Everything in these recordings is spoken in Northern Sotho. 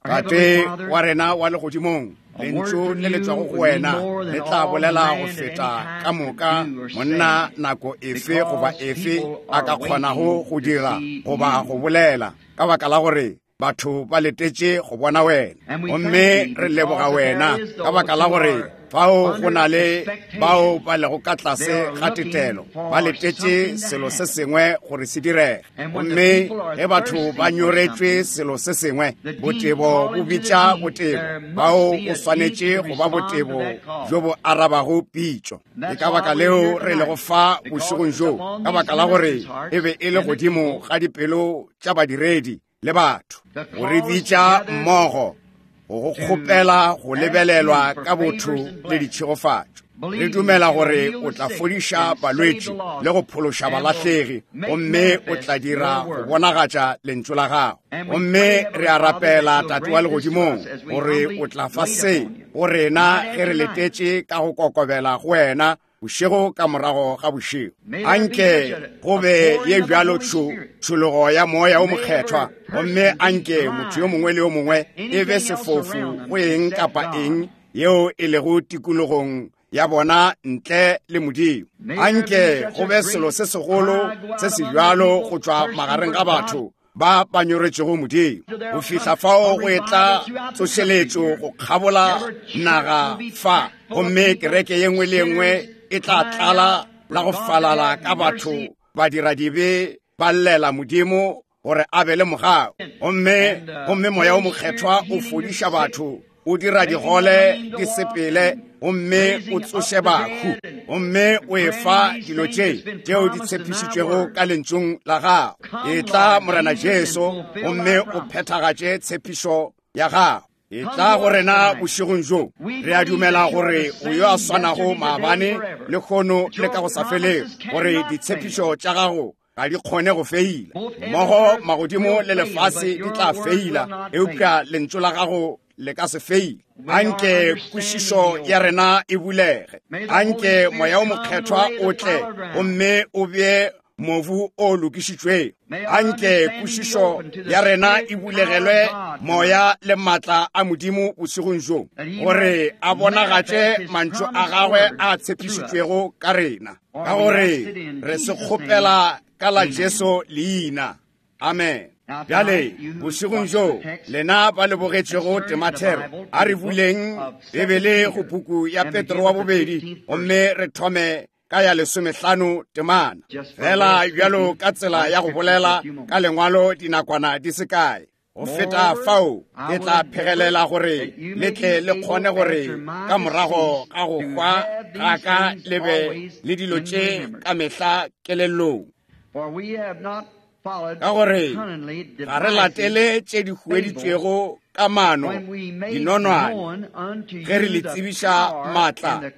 Tate wa rena wa legodimong, lentšu le le tšwago go wena le tla bolela go feta ka moka monna nako efe goba efe a ka kgonago go dira goba go bolela, ka baka la gore batho ba letetše go bona wena. Gomme re leboga wena ka baka la gore fao go na le bao ba lego ka tlase ga tetelo, ba letetše selo se sengwe gore se direge. Gomme ge batho ba nyoretšwe selo se sengwe, botebo bo bitša botebo, bao o swanetše go ba botebo bjo bo arabago pitšo. Ke ka baka leo re lego fa bošegong bjo, ka baka la gore e be e le godimo ga dipelo tša badiredi le batho go re bitša mmogo, go go kgopela go lebelelwa ka botho le ditšhegofatšo. Re dumela gore o tla fodiša balwetši le go phološa balahlegi, gomme o tla dira go bonagatša lentšu la gago. Gomme re a rapela, Tate wa legodimong, gore o tla fa se go rena ge re letetše ka go kokobela go wena bošego ka morago ga bošego. Anke go be ye bjalo tšhologo ya Moya o Mokgethwa, gomme anke motho yo mongwe le yo mongwe e be sefofu go eng kapa eng yeo e lego tikologong ya bona ntle le Modimo. Anke go be selo se segolo se se bjalo go tšwa magareng ga batho ba ba nyoretšego Modimo, go fihla fao go etla tsošeletšo go kgabola naga fa, gomme kereke ye nngwe le ye nngwe e tla tlala la go falala ka batho badiradibe ba llela Modimo gore a be le mogau. Gomme, gomme Moya o Mokgethwa o fodiša batho, o dira digole di sepele, gomme o tsoše bahu, gomme o efa dilo tše tšeo di tshepišitšwego ka lentšung la gago. Etla, Morena Jesu, gomme o phethagatše tshepišo ya gago. Etla go rena bošegong bjo. Re a dumela gore o yo a swanago maabane, lehono le ka go sa felego, gore ditshepišo tša gago ga di kgone go feila. Mmogo magodimo le lefase di tla feila, eupša lentšu la gago le ka se feile. Anke kwešišo ya rena e bulege. Anke Moya o Mokgethwa o tle gomme o bee mobu o lokišitšwego. Anke kwešišo ya rena e bulegelwe moya le maatla a Modimo bošegong bjo, gore a bonagatše mantšu a gagwe a tshepišitšwego ka rena, ka gore re se kgopela ka la Jesu leina. Amen. Bjale bošegong bjo, lena ba le bogetšego temathero, a re buleng Bibele go puku ya Petro wa bobedi, gomme re thome ka ya lesomehlano temana, fela bjalo ka tsela ya go bolela ka lengwalo dinakwana di se kae. Go feta fao, ke tla phegelela gore le tle le kgone gore ka morago ga go hwa ga ka le be le dilo tše ka mehla kelellong. Ka gore ga re latele tše di hueditšwego ka mano dinonwane ge re le tsebiša maatla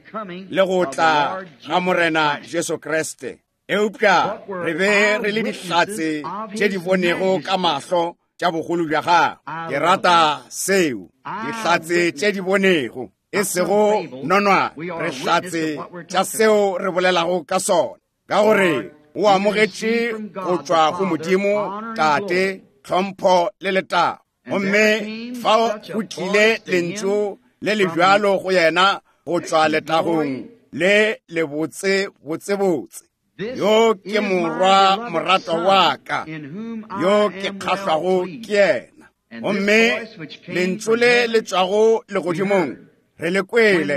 le go tla ga Morena Jesu Kriste, eupša re be re le dihlatse tše di bonego ka mahlo tša bogolo bja gagwe. Ke rata seo, dihlatse tše di bonego, e sego nonwane. Re hlatse tša seo re bolelago ka sona, ka gore o amogetše go tšwa go Modimo Tate tlhompho le letago. Gomme fao go tlile lentšu le le bjalo go yena go tšwa letagong le lebotse botsebotse. Yo ke morwa moratwa wa ka, yo ke kgahlwago ke yena. Gomme lentšu le le tšwago legodimong re le kwele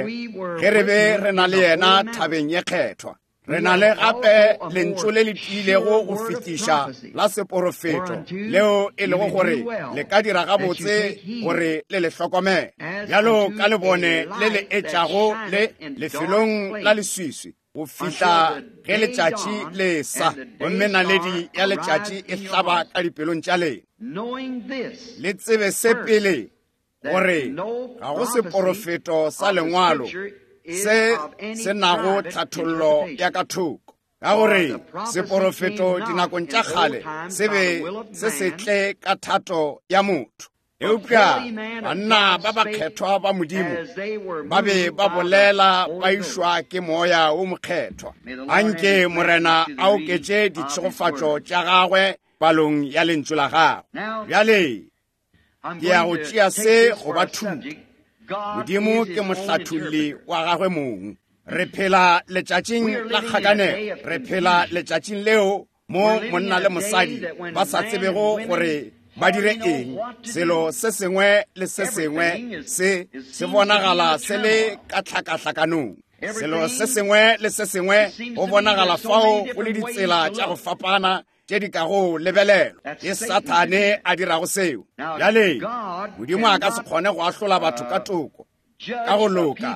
ge re be re na le yena thabeng ye kgethwa. Re na le gape lentšu le le tiilego go fetiša la seporofeto, leo e lego gore le ka dira gabotse gore le le hlokomele, bjalo ka lebone le le etšago le lefelong la leswiswi go fihla ge letšatši le sa, gomme naledi ya letšatši e hlaba ka dipelong tša lena. Le tsebe se pele, gore ga go seporofeto sa lengwalo se se nago tlhathollo ya ka thoko, ka gore seporofeto dinakong tša kgale se be se se tle ka thato ya motho, eupša banna ba bakgethwa ba Modimo ba be ba bolela ba išwa ke Moya wo Mokgethwa. Anke Morena a oketše ditšhegofatšo tša gagwe palong ya lentšu la gagwe. Bjale. Ke ya go tšea se go ba thuto. Modimo ke mohlatholli wa gagwe mong. Re phela letšatšing la kgakanego. Re phela letšatšing leo mo monna le mosadi ba sa tsebego gore ba dire eng. Selo se sengwe le se sengwe se se bonagala se le ka tlhakahlakanong. Selo se sengwe le se sengwe go bonagala fao go le ditsela tša go fapana tše di kago lebelelwa. Ke Sathane a dirago seo. Bjale, Modimo a ka se kgone go ahlola batho ka toko, ka go loka,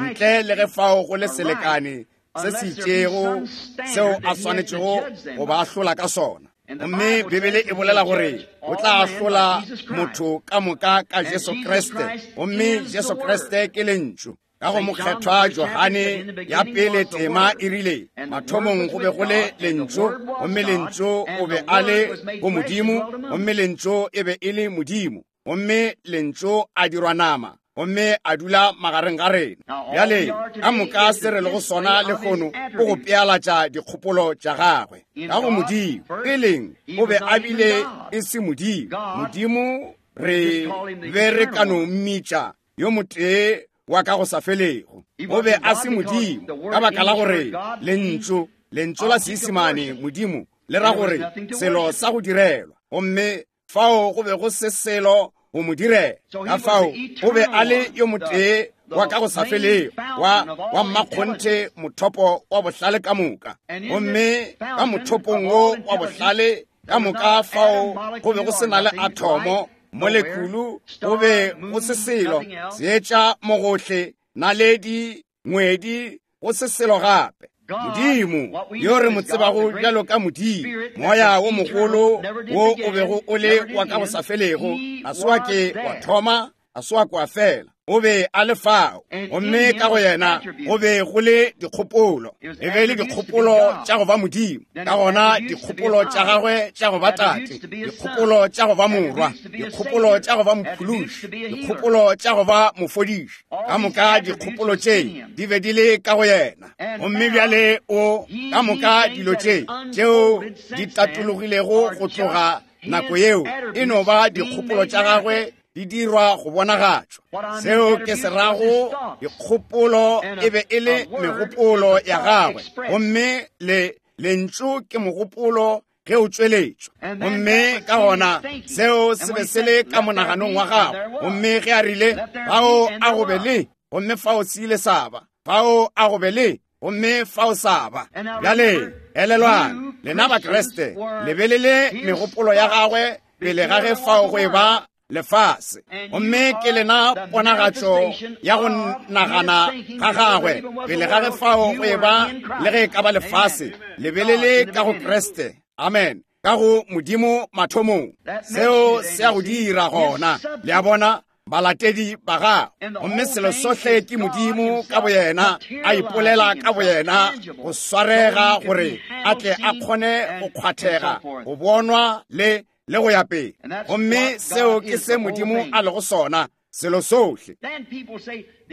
ntle le ge fao go le selekane se se itšego seo a swanetšego go ba ahlola ka sona. Gomme Bibele e bolela gore o tla ahlola motho ka moka ka Jesu Kriste, gomme Jesu Kriste ke Lentšu. Ka go Mokgethwa Johane ya pele tema e rile, mathomong go be go le Lentšu, gomme Lentšu o be a le go Modimo, gomme Lentšu e be e le Modimo, gomme Lentšu a dirwa nama, gomme a dula magareng ga rena. Bjale, ka moka se re lego sona lehono o go pealatša dikgopolo tša gagwe. Ka go Modimo, peleng o be a bile e se Modimo. Modimo re be re ka no mmitša yo motee wa ka go sa felego. O be a se Modimo ka baka la gore lentšu, lentšu la Seisemane Modimo le ra gore selo sa go direlwa, gomme fao go be go se selo go mo direla. Ka fao o be a le yo motee wa ka go sa felego, wa, wa mmakgonthe, mothopo wa bohlale ka moka. Gomme ka mothopong wo wa bohlale ka moka fao go be go se na le athomo, molekulu, go be go se selo, seetša mo gohle, naledi, ngwedi, go se selo gape. Modimo, yo re mo tsebago bjalo ka Modimo, Moya wo mogolo wo o bego o le wa ka go sa felego, ga se wa ke wa thoma, ga se wa ke wa fela, o be a le fao, gomme ka go yena go be go le dikgopolo. E be e le dikgopolo tša go ba Modimo, ka gona dikgopolo tša gagwe tša go ba Tate, dikgopolo tša go ba Morwa, dikgopolo tša go ba Mophološi, dikgopolo tša go ba Mofodiši. Ka moka dikgopolo tše di be di le ka go yena. Gomme bjale o ka moka dilo tše tšeo di tatologilego go tloga nako yeo e no ba dikgopolo tša gagwe di dirwa go bonagatšwa. Seo ke se rago, dikgopolo e be e le megopolo ya gagwe, gomme le lentšu ke mogopolo ge o tšweletšwa. Gomme ka gona seo se be se le ka monaganong wa gagwe, gomme ge a rile fao a go be le, gomme fao se ile sa ba, fao a go be le, gomme fao sa ba. Bjale elelwang, lena Bakriste, le be le le megopolo ya gagwe pele ga ge fao go e ba lefase, gomme ke lena ponagatšo ya go nagana ga gagwe pele ga ge fao go e ba le ge e ka ba lefase. Le be le le ka go Kriste, amen, ka go Modimo mathomong. Seo se a go dira gona, le a bona, balatedi ba gagwe. Gomme selo sohle ke Modimo ka boyena a ipolela ka boyena go swarega gore a tle a kgone go kgwathega, go bonwa le le go ya pele. Gomme seo ke se Modimo a lego sona, selo sohle.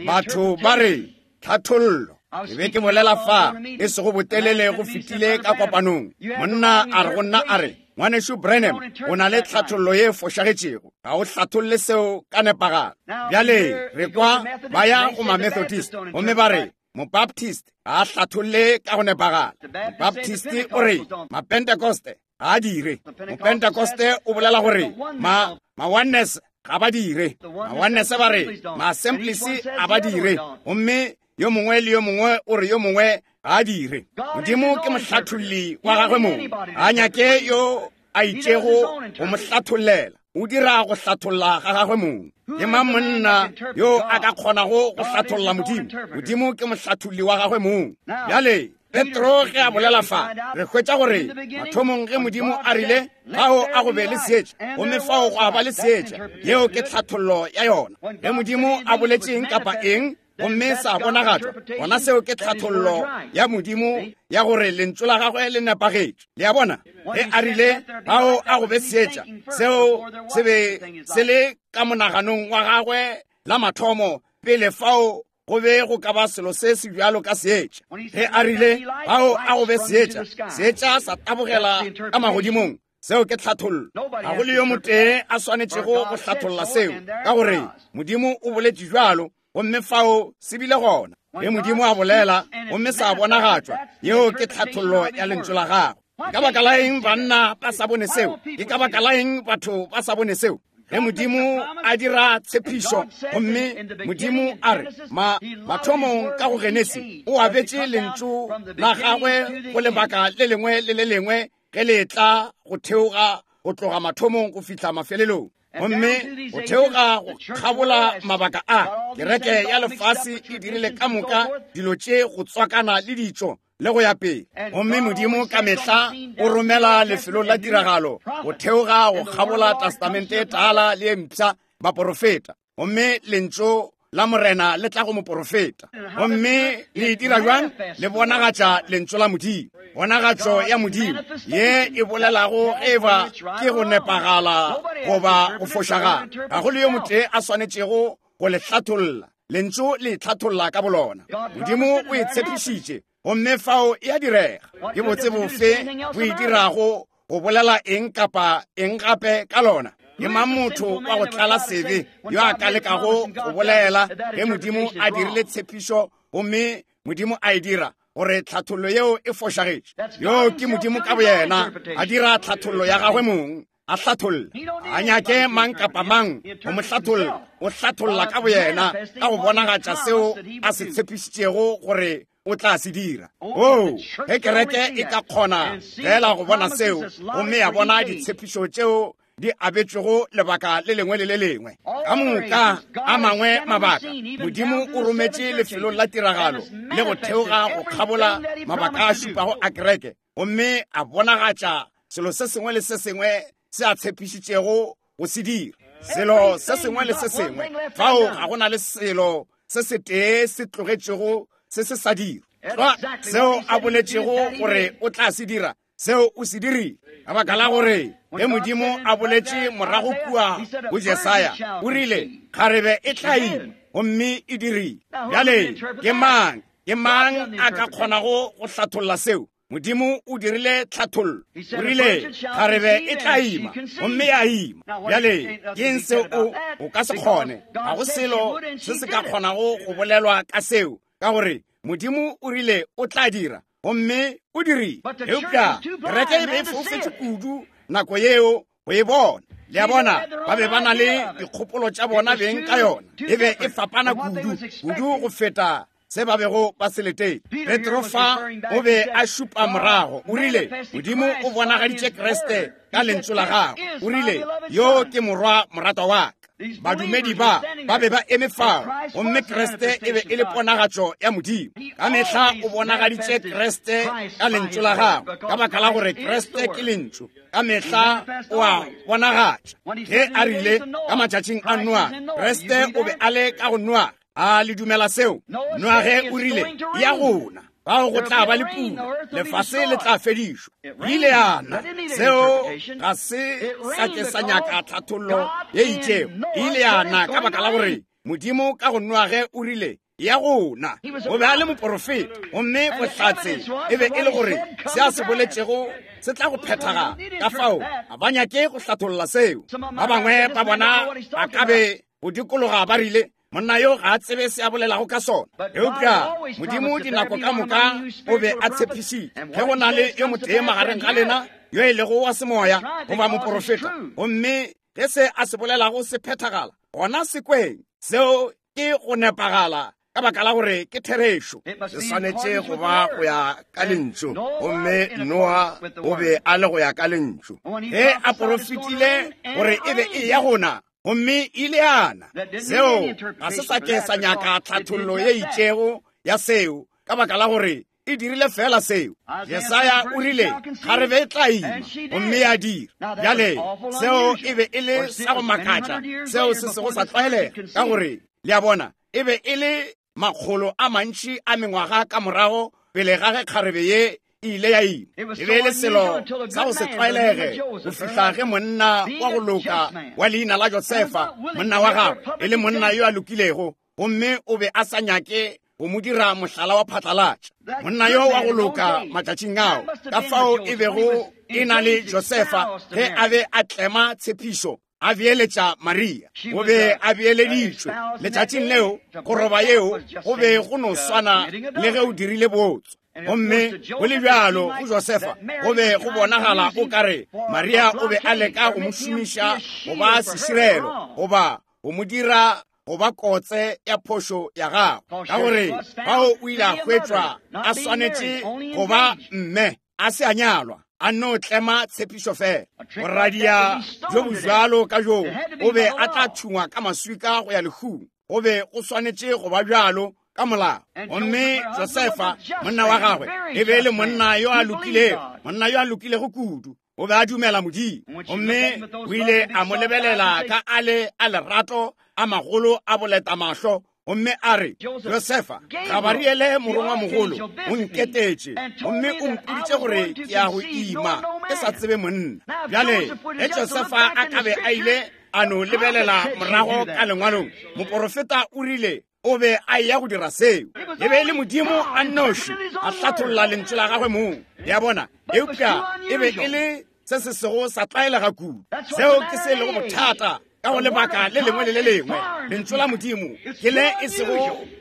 Batho ba re tlhathollo. Ke be ke bolela fa e sego botelele go fetile ka kopanong. Monna a re go nna a re, Ngwanešu Branham, o na le tlhathollo ye fošagetšego. Ga o hlatholle seo ka nepagalo. Bjale re kwa ba ya go ma-Methodist gomme ba re Mobaptist ga a hlatholle ka go nepagala. Mobaptist o re Mapentekoste ga a dire. Mopentekoste o bolela gore ma ma-oneness ga ba dire. Ma-oneness ba re ma-assemblies ga ba dire. Gomme yo mongwe le yo mongwe o re yo mongwe ga a dire. Modimo ke mohlatholli wa gagwe mong, ga a nyake yo a itšego go mo hlathollela. O dira go hlatholla ga gagwe mong. Ke mang monna yo a ka kgonago go hlatholla Modimo? Modimo ke mohlatholli wa gagwe mong. Bjale Petro ge a bolela fa, re hwetša gore mathomong ge Modimo a rile fao a go be le seetša, gomme fao go a ba le seetša, yeo ke tlhathollo ya yona. Ge Modimo a boletše eng kapa eng gomme sa bonagatšwa, gona seo ke tlhathollo ya Modimo ya gore lentšu la gagwe le nepagetše. Le a bona? Ge a rile fao a go be seetša, seo se be se le ka monaganong wa gagwe la mathomo pele fao go be go ka ba selo se se bjalo ka seetša. Ge a rile fao a go be seetša, seetša sa tabogela ka magodimong. Seo ke tlhathollo. Ga go le yo motee a swanetšego go hlatholla seo, ka gore Modimo o boletše bjalo, gomme fao se bile gona. Ge Modimo a bolela gomme sa bonagatšwa, yeo ke tlhathollo ya Lentšu la Gagwe. Ke ka baka la eng banna ba sa bone seo? Ke ka baka la eng batho ba sa bone seo? Ge Modimo a dira tshepišo, gomme Modimo a re, ma, mathomong ka go Genesi, o abetše Lentšu la Gagwe go lebaka le lengwe le le lengwe ge le etla go theoga go tloga mathomong go fihla mafelelong. Gomme go theoga go kgabola mabaka a, kereke ya lefase e dirile ka moka dilo tše go tswakana le ditšo le go ya pele. Gomme Modimo ka mehla o romela lefelong la tiragalo go theoga go kgabola Testamente e Tala le e Mpsha baporofeta. Gomme Lentšu la Morena le tla go moporofeta. Gomme le e dira bjang? Le bonagatša Lentšu la Modimo. Ponagatšo ya Modimo ye e bolelago ge eba ke go nepagala goba go fošagala. Ga go le yo motee a swanetšego go le hlatholla. Lentšu le itlhatholla ka bolona. Modimo o e tshepišitše, gomme fao e a direga. Ke botse bofe bo e dirago go bolela eng kapa eng gape ka lona? Ke mang motho wa go tlala sebe yo a ka lekago go bolela ge Modimo a dirile tshepišo gomme Modimo a e dira gore tlhathollo yeo e fošagetše? Yo ke Modimo ka boyena a dira tlhathollo ya gagwe mong, a hlatholla. A nyake mang kapa mang go mo hlatholla, o hlatholla ka boyena ka go bonagatša seo a se tshepišitšego gore o tla se dira. Oo, ge kereke e ka kgona fela go bona seo gomme ya bona ditshepišo tšeo di abetšwego lebaka le lengwe le le lengwe, ka moka a mangwe mabaka, Modimo o rometše lefelong la tiragalo le go theoga go kgabola mabaka a šupago a kereke, gomme a bonagatša selo se sengwe le se sengwe se a tshepišitšego go se dira. Selo se sengwe le se sengwe, fao ga go na le selo se setee se tlogetšego se se sa dira. Tlwa seo a boletšego gore o tla se dira, seo o se dirile. Ka baka la gore ge Modimo a boletše morago kua go Jesaya, o rile, kgarebe e tla ima, gomme e dirile. Bjale ke mang, ke mang a ka kgonago go hlatholla seo? Modimo o dirile tlhathollo. O rile, kgarebe e tla ima, gomme ya ima. Bjale, ke eng seo o, o ka se kgone? Ga go selo se se ka kgonago go bolelwa ka seo, ka gore Modimo o rile o tla dira, gomme o dirile. Eupša kereke e be e foufetše kudu nako yeo go e bona. Le a bona, ba be ba na le dikgopolo tša bona beng ka yona. E be e fapana kudu, kudu go feta se ba bego ba se letetše. Petro fa o be a šupa morago, o rile, Modimo o bonagaditše Kriste ka Lentšu la Gagwe. O rile, Yo ke Morwa moratwa wa ka. Badumedi ba ba be ba eme fao, gomme Kriste e be e le ponagatšo ya Modimo. Ka mehla o bonagaditše Kriste ka Lentšu la Gagwe, ka baka la gore Kriste ke Lentšu. Ka mehla o a bonagatša. Ge a rile ka matšatšing a Noa, Kriste o be a le ka go Noa. A le dumela seo? Noage o rile, ya gona, bao go tla ba le pula, lefase le tla fedišwa. Ile ya na. Seo ga se sa ke sa nyaka tlhathollo ye itšego. Ile ya na ka baka la gore Modimo ka go Noage o rile, ya gona. O be a le moporofeta, gomme bohlatse e be e le gore se a se boletšego se tla go phethagala. Ka fao ga ba nyake go hlatholla seo. Ba bangwe ba bona ba ka be go dikologa ba rile, monna yo ga a tsebe se a bolelago ka sona. Eupša Modimo dinako ka moka o be a tshepišitše, ge go na le yo motee magareng ga lena yo e lego wa semoya goba moporofeta, gomme ge se a se bolelago se phethagala, gona se kweng. Seo ke go nepagala ka baka la gore ke therešo. Se swanetše go ba go ya ka Lentšu, gomme Noa o be a le go ya ka Lentšu. Ge a porofetile gore e be e ya gona, gomme ile ya na. Seo ga se sa ke sa nyaka tlhathollo ye itšego ya seo, ka baka la gore e dirile fela seo. Jesaya o rile kgarebe e tla ima, gomme ya dira. Bjale seo e be e le sa go makatša, seo se sego sa tlwaelega, ka gore le a bona e be e le makgolo a mantši a mengwaga ka morago pele ga ge kgarebe ye e ile ya ima. E be e le selo sa go se tlwaelege go fihla ge monna wa go loka wa leina la Josefa, monna wa gagwe, e le monna yo a lokilego, gomme o be a sa nyake go mo dira mohlala wa phatlalatša. Monna yo wa go loka matšatšing ao, ka fao e bego e na le Josefa ge a be a tlema tshepišo, a beeletša Maria. O be a beeleditšwe letšatšing leo, go roba yeo go be go no swana le ge o dirile bootswa. Gomme go le bjalo go Josefa go be go bonagala o ka re Maria o be a leka go mo šomiša go ba seširelo goba go mo dira go ba kotse ya phošo ya gagwe, ka gore bao o ile a hwetšwa a swanetše go ba mme, a se a nyalwa, a no tlema tshepišo fela. Boradia bjo bojalo ka joo o be a tla thungwa ka maswika go ya lehung. Go be go swanetše go ba bjalo ka molao. Gomme Josefa monna wa gagwe e be e le monna yo a lokilego, monna yo a lokilego kudu. O be a dumela Modimo. Gomme o ile a mo lebelela ka a le a lerato a magolo a boleta mahlo, gomme a re, Josefa, Gabariele morongwamogolo o nketetše gomme o mpoditše gore ke ya go ima ke sa tsebe monna. Bjale ge Josefa a ka be a ile a no lebelela morago ka lengwalong, moporofeta o rile o be a eya go dira seo. E be e le Modimo a nnoši a hlatholla lentšu la gagwe mong, le a bona, eupša e be e le se se sego sa tlwaelega kudu. Seo ke se lego bothata ka go lebaka le lengwe le le lengwe. Lentšu la Modimo ke le e sego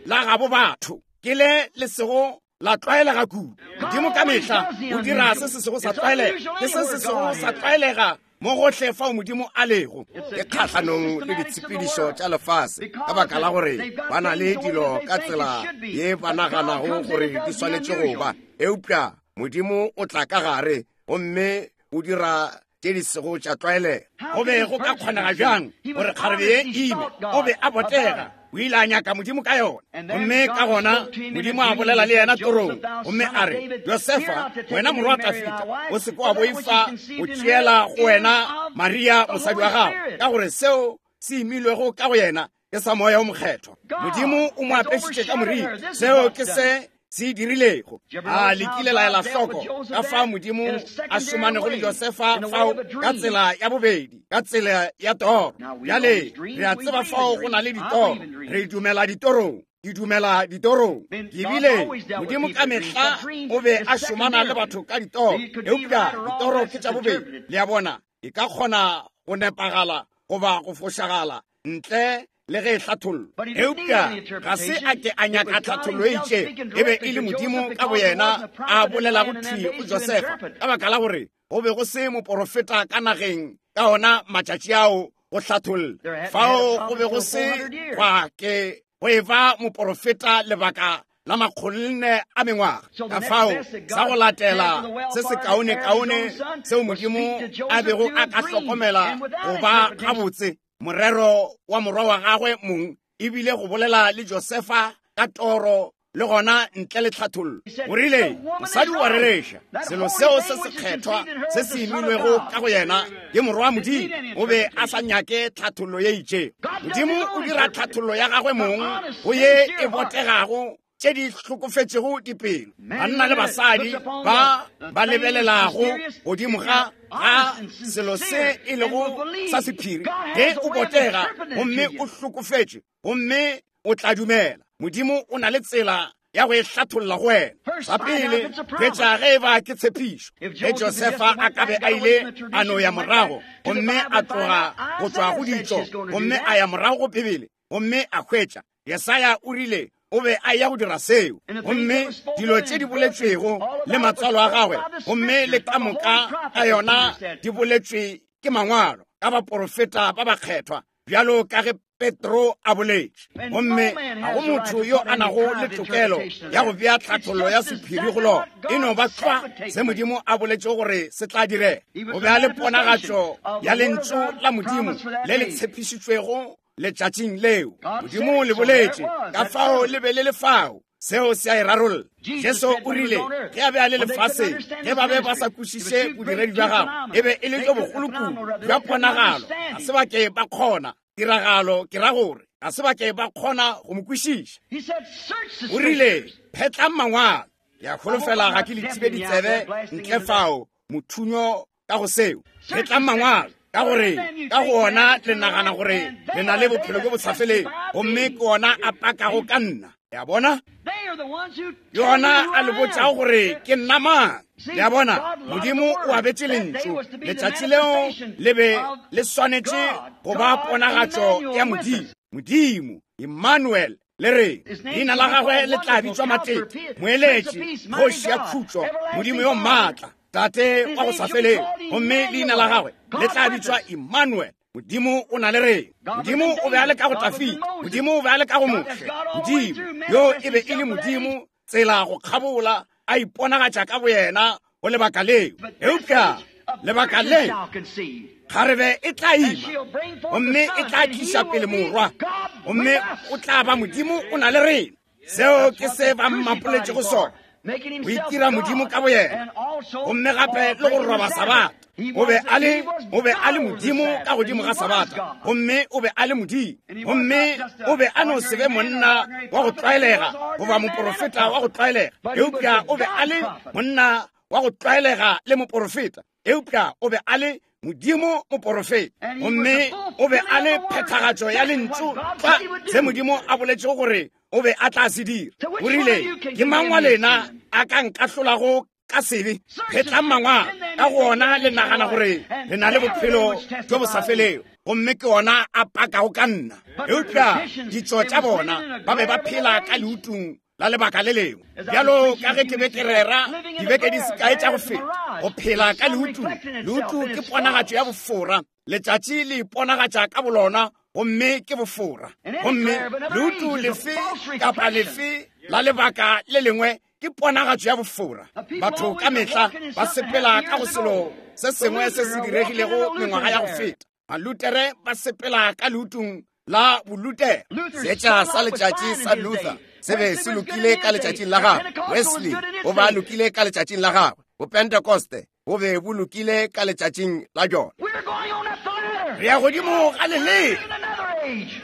la gabo batho, ke le le sego la tlwaelega kudu. Modimo ka mehla o dira se se sego sa tlwaelega, ke se se sego sa tlwaelega mo gohle fao Modimo a lego. Ke kgahlanong le ditshepedišo tša lefase ka baka la gore ba na le dilo ka tsela ye ba naganago gore di swanetše go ba, eupša Modimo o tla ka gare gomme o dira tše di sego tša tlwaelega. Go be go ka kgonega bjang gore kgarebe ye ime? O be a botega, o ile a nyaka Modimo ka yona. Gomme ka gona Modimo a bolela le yena torong, gomme a re, Josefa, wena morwa Dafida, o se ke wa boifa go tšeela go wena Maria mosadi wa gago, ka gore seo se imilwego ka go yena ke sa Moya o Mokgethwa. Modimo o mo apešitše ka moriri. Seo ke se se dirilego. A le kile la ela hloko ka fao Modimo a šomanego le Josefa fao ka tsela ya bobedi, ka tsela ya toro? Bjale re a tseba fao go na le ditoro. Re dumela ditorong. Ke dumela ditorong. Ke bile Modimo ka mehla o be a šomana le batho ka ditoro, eupša ditoro ke tša bobedi. Le a bona, e ka kgona go nepagala goba go fošagala ntle le ge e hlathollwa, eupša ga se a ke a nyaka tlhathollo e itšego. E be e le Modimo ka boyena a bolelago thwi go Josefa, ka baka la gore go be go se moporofeta ka nageng ka ona matšatši ao go hlatholla. Fao go be go se gwa ke go e ba moporofeta lebaka la makgolonne a mengwaga. Ka fao sa go latela se se kaone-kaone seo Modimo a bego a ka hlokomela go ba gabotse morero wa morwa wa gagwe mong e bile go bolela le Josefa ka toro le gona ntle le tlhathollo. O rile, mosadi o a rereša, selo seo se sekgethwa se se imilwego ka go yena ke morwa wa Modimo. O be a sa nyake tlhathollo ye itšego. Modimo o dira tlhathollo ya gagwe mong go ye e botegago tše di hlokofetšego dipelo, banna le basadi ba ba lebelelago godimo ga ga selo se e lego sa sephiri. Ge o botega gomme o hlokofetše gomme o tla dumela, Modimo o na le tsela ya go e hlatholla go wena. Sa pele, hwetša ge e ba ke tshepišo. Ge Josefa a ka be a ile a no ya morago gomme a tloga go tšwa go ditšo gomme a ya morago go Bibele gomme a hwetša Jesaya o rile o be a ya go dira seo, gomme dilo tše di boletšwego le matswalo a gagwe gomme le ka moka ka yona di boletšwe ke mangwalo ka baporofeta ba bakgethwa, bjalo ka ge Petro a boletše. Gomme ga go motho yo a nago le tokelo ya go bea tlhathollo ya sephiri go lona. E no ba tlwa se Modimo a boletšego gore se tla direga. O be a le ponagatšo ya lentšu la Modimo le le tshepišitšwego letšatšing leo. Modimo le boletše, ka fao le be le le fao. Seo se a e rarolla. Jesu o rile ge a be a le lefaseng, ge ba be ba sa kwešiše bodiredi bja gagwe, e be e le bjo bogolo kudu bja ponagalo, ga se ba ke ba kgona tiragalo, ke ra gore ga se ba ke ba kgona go mo kwešiša. O rile, phetlang mangwalo. Ke a holofela ga ke le thibe ditsebe ntle fao, mothunyo ka go seo. Phetlang mangwalo, ka gore ka go ona le nagana gore le na le bophelo bjo bo sa felego, gomme ke ona a pakago ka nna. Ya bona? Yona a le botšago gore ke nna mang. Le a bona, Modimo o abetše lentšu. Letšatši leo le be le swanetše go ba ponagatšo ya Modimo. Modimo, Emmanuel, le re leina la gagwe le tla bitšwa Matete, Moeletši, Kgoši ya Khutšo, Modimo yo maatla, Tate wa go sa felego. Gomme leina la gagwe le tla bitšwa Emmanuel. Modimo o na le rena. Modimo o be a le ka go Dafida. Modimo o be a le ka go Moshe. Modimo yo e be e le Modimo tsela go kgabola, a iponagatša ka boyena go lebaka leo. Eupša lebaka le kgarebe e tla ima gomme e tla tliša pele morwa, gomme o tla ba Modimo o na le rena. Seo ke se ba mmapoletšego sona, go itira Modimo ka boyena, gomme gape le go roba Sabata. O be a le, o be a le Modimo ka godimo ga Sabata, gomme o be a le Modimo. Gomme o be a no se be monna wa go tlwaelega goba moporofeta wa go tlwaelega, eupša o be a le monna wa go tlwaelega le moporofeta, eupša o be a le Modimo moporofeta, gomme o be a le phethagatšo ya lentšu tlwa se Modimo a boletšego gore o be a tla se dira. O rile, ke mang wa lena a ka nkahlolago ka sebe? Phetlang mangwalo, ka go ona le nagana gore le na le bophelo bjo bo sa felego, gomme ke ona a pakago ka nna. Eupša ditšo tša bona ba be ba phela ka leutung la lebaka le lengwe. Bjalo ka ge ke be ke rera dibeke di sekae tša go feta, go phela ka leutu. Leutu ke ponagatšo ya bofora. Letšatši le iponagatša ka bolona, gomme ke bofora. Gomme leutu lefe kapa lefe la lebaka le lengwe ke ponagatšo ya bofora. Batho ka mehla ba sepela ka go selo se sengwe se se diregilego mengwaga ya go feta. Balutere ba sepela ka leutung la Bolutere. Seetša sa letšatši sa Luther se be se lokile ka letšatšing la gagwe. Wesley o ba lokile ka letšatšing la gagwe. Bopentekoste bo be bo lokile ka letšatšing la jona. Re ya godimo ga leleme.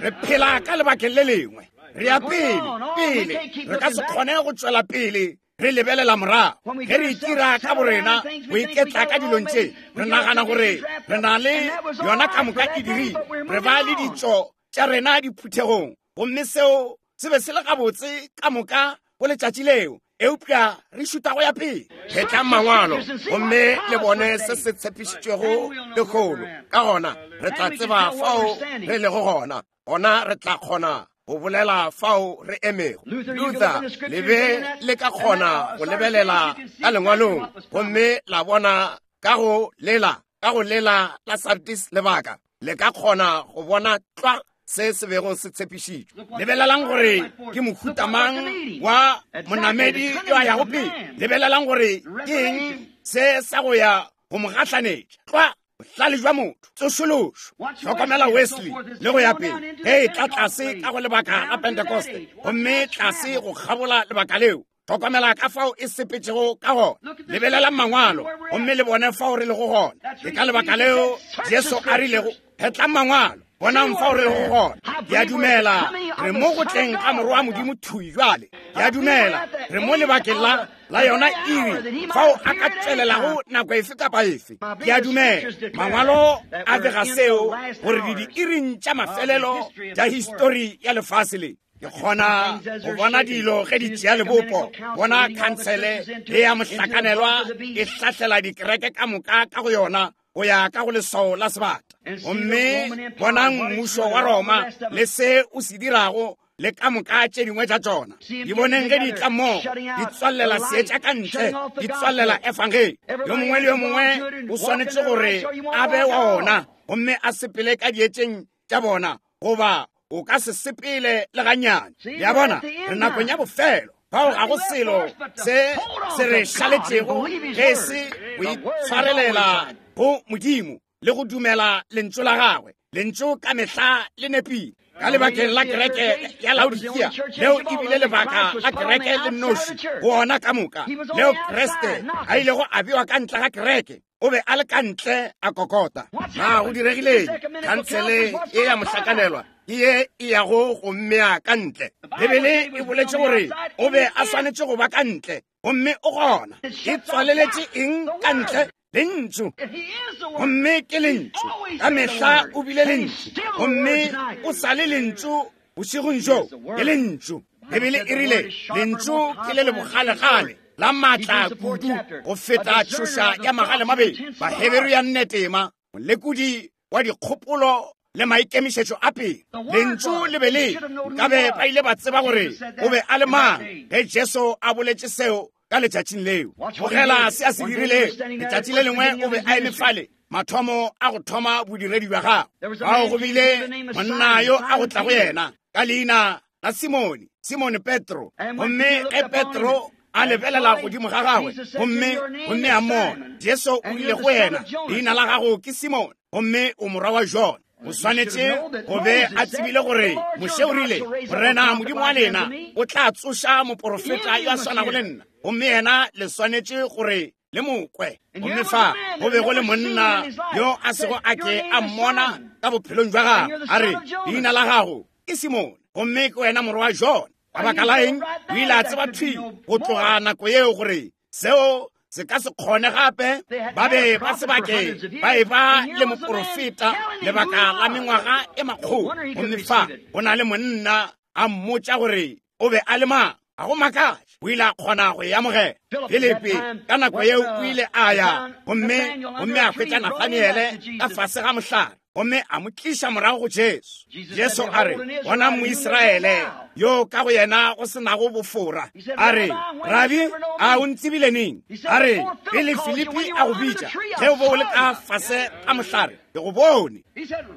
Re phela ka lebakeng le lengwe. Re ya pele, pele. Re ka se kgone go tšwela pele re lebelela morago. Ge re itira ka borena go iketla ka dilong tše, re nagana gore re na le yona ka moka e dirile. Re ba le ditšo tša rena diphuthegong, gomme seo se be se le gabotse ka moka go letšatši leo, eupša re šuta go ya pele. Phetlang mangwalo gomme le bone se se tshepišitšwego lekgolo. Ka gona re tla tseba fao re lego gona. Gona re tla kgona go bolela fao re emego. Luther, le be le ka kgona go lebelela ka lengwalong gomme la bona ka go lela, ka go lela la Sardis lebaka, le ka kgona go bona tlwa se se bego se tshepišitšwe. Lebelelang gore ke mohuta mang wa monamedi yo a yago pele. Lebelelang gore ke eng se sa go ya go mo gahlanetša. Tlwa bohlale jwa motho, tsošološo. Hlokomela Wesley le go ya pele, ge e tla tlase ka go lebaka la Pentekoste, gomme tlase go kgabola lebaka leo. Hlokomela ka fao e sepetšego ka gona. Lebelelang mangwalo gomme le bone fao re lego gona. Ke ka lebaka leo Jesu a rilego, phetlang mangwalo, bonang fao re lego gona. Ke a dumela re mo go tleng ga Morwa wa Modimo thwi bjale. Ke a dumela re mo lebakeng la la yona iri fao a ka tšwelelago nako efe kapa efe. Ke a dumela mangwalo a bega seo, gore di diiring tša mafelelo tša histori ya lefase le. Ke kgona go bona dilo ge di tšea lebopo, bona khansele e ya mohlakanelwa e hlahlela dikereke ka moka ka go yona go ya ka go leswao la sebata. Gomme bonang mmušo wa Roma le se o se dirago le ka moka tše dingwe tša tšona. Di boneng ge di tla mmogo, di tswallela seetša ka ntle, di tswallela efangeli. Yo mongwe le yo mongwe o swanetše gore a be wa ona gomme a sepele ka dietšeng tša bona, goba o ka se sepele le gannyane. Le a bona, re nakong ya bofelo. Fao ga go selo se se re šaletšego ge e se go itshwarelela go Modimo le go dumela lentšu la gagwe. Lentšu ka mehla le nepile. Ka lebakeng la kereke ya Laodikia, leo e bile lebaka la kereke le nnoši go ona ka moka, leo Kriste a ilego a bewa ka ntle ga kereke. O be a le ka ntle a kokota. Na go diregileng? Khansele e ya mohlakanelwa ke ye e yago go mmea ka ntle. Bibele e boletše gore o be a swanetše go ba ka ntle, gomme o gona. E tswaleletše eng ka ntle? Lentšu. Gomme ke Lentšu. Ka mehla o bile Lentšu, gomme o sa le Lentšu bošegong bjo. Ke Lentšu. Bibele e rile, Lentšu ke le le bogalegale, la maatla kudu go feta tšhoša ya magalemabedi. Baheberu ya nnetema, molekodi wa dikgopolo le maikemišetšo a pele. Lentšu le be le nkabe ba ile ba tseba gore o be a le mang ge Jesu a boletše seo ka letšatšing leo. Bogela se a se dirilego. Letšatši le lengwe o be a eme fale, mathomo a go thoma bodiredi bja gagwe. Fao go bile monna yo a go tla go yena ka leina la Simone, Simone Petro. Gomme ge Petro a lebelela godimo ga gagwe gomme gomme a mmona, Jesu o rile go yena, leina la gago ke Simone, gomme o morwa wa Jona. O swanetše go be a tsebile gore Moshe o rile, Morena Modimo wa lena o tla tsoša moporofeta yo a swanago le nna, gomme yena le swanetše gore le mo kwe. Gomme fa go be go le monna yo a sego a ke a mmona ka bophelong bja gagwe, a re, leina la gago ke Simone, gomme ke wena morwa wa Jona. Ka baka la eng? O ile a tseba thwi go tloga nako yeo gore seo se ka se kgone gape. Ba be ba se bake ba e ba le moporofeta lebaka la mengwaga e makgolo, gomme fa go na le monna a mmotša gore o be a le mang. Ga go makatše o ile a kgona go e amogela. Filipi ka nako yeo o ile a ya gomme gomme a hwetša Nathaniele ka fase ga mohlare, gomme a mo tliša morago go Jesu. Jesu a re, Bona Moisraele yo ka go yena go se nago bofora. A re, Rabi, a o ntsebile neng? A re, Pele Filipi a go bitša, ge o be o le ka fase ga mohlare, ke go bone.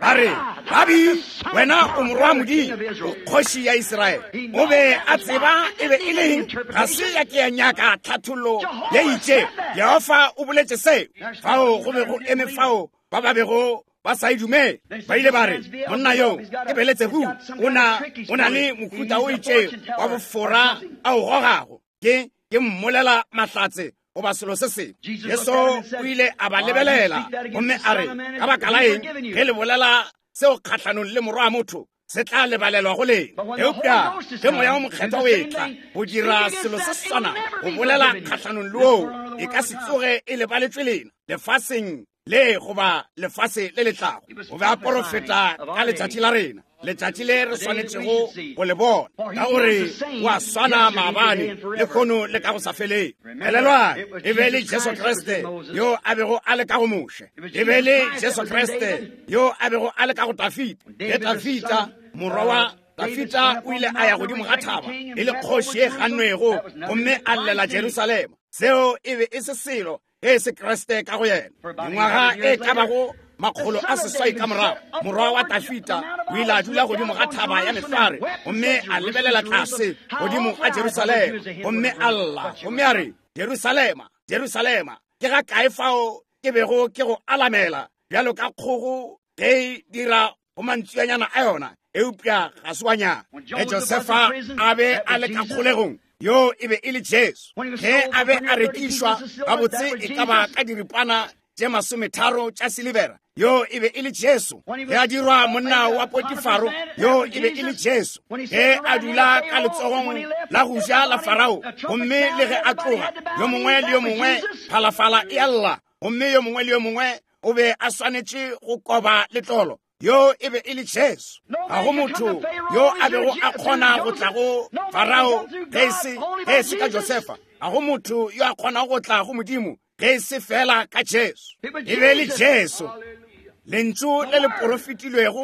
A re, Rabi, wena o morwa wa Modimo, o kgoši ya Israele. O be a tseba e be e le eng. Ga se ya ke ya nyaka tlhathollo ye itšego. Jehofa o boletše seo. Fao go be go eme fao ba ba bego ba sa e dumele. Ba ile ba re, Monna yo ke Beletsebu, o na, o na le mohuta o itšego wa bofora a o gogago. Ke, ke mmolela mahlatse goba selo se sengwe. Jesu o ile a ba lebelela gomme a re, Ka baka la eng ge le bolela seo kgahlanong le Morwa wa motho, se tla lebalelwa go lena. Eupša ge Moya wo Mokgethwa o etla go dira selo se se swanago, go bolela kgahlanong le woo, e ka se tsoge e lebaletšwe lena lefaseng le goba lefase le le tlago. O be a porofeta ka letšatši la rena, letšatši le re swanetšego go le bona, ka gore o a swana maabane, lehono le ka go sa feleng. Elelwang, e be le Jesu Kriste yo a bego a le ka go Moshe, e be le Jesu Kriste yo a bego a le ka go Dafida. Ge Dafida, morwa wa Dafida, o ile a ya godimo ga thaba e le kgoši e gannwego gomme a llela Jerusalema, seo e be e se selo ge e se Kriste ka go yena. Mengwaga e ka bago 800 ka morago, morwa wa Dafida o ile a dula godimo ga thaba ya mehlware gomme a lebelela tlase godimo ga Jerusalema gomme a lla gomme a re, Jerusalema, Jerusalema, ke ga kae fao ke bego ke go alamela bjalo ka kgogo ge e dira go mantsuanyana a yona, eupša ga se wa nyaka. Ge Josefa a be a le ka kgolegong, yo e be e le Jesu. Ge a be a rekišwa gabotse e ka ba ka diripana tše 30 tša silibera, yo e be e le Jesu. Ge a dirwa monna wa Potifaro, yo e be e le Jesu. Ge a dula ka letsogong la go ja la Farao, gomme le ge a tloga, yo mongwe le yo mongwe phalafala e a lla, gomme yo mongwe le yo mongwe o be a swanetše go koba letlolo, yo e be e le Jesu. Ga go motho yo a bego a kgona go tla go Farao ge e se ka Josefa. Ga go motho yo a kgonago go tla go Modimo ge e se fela ka Jesu. E be e le Jesu, lentšu le le porofetilwego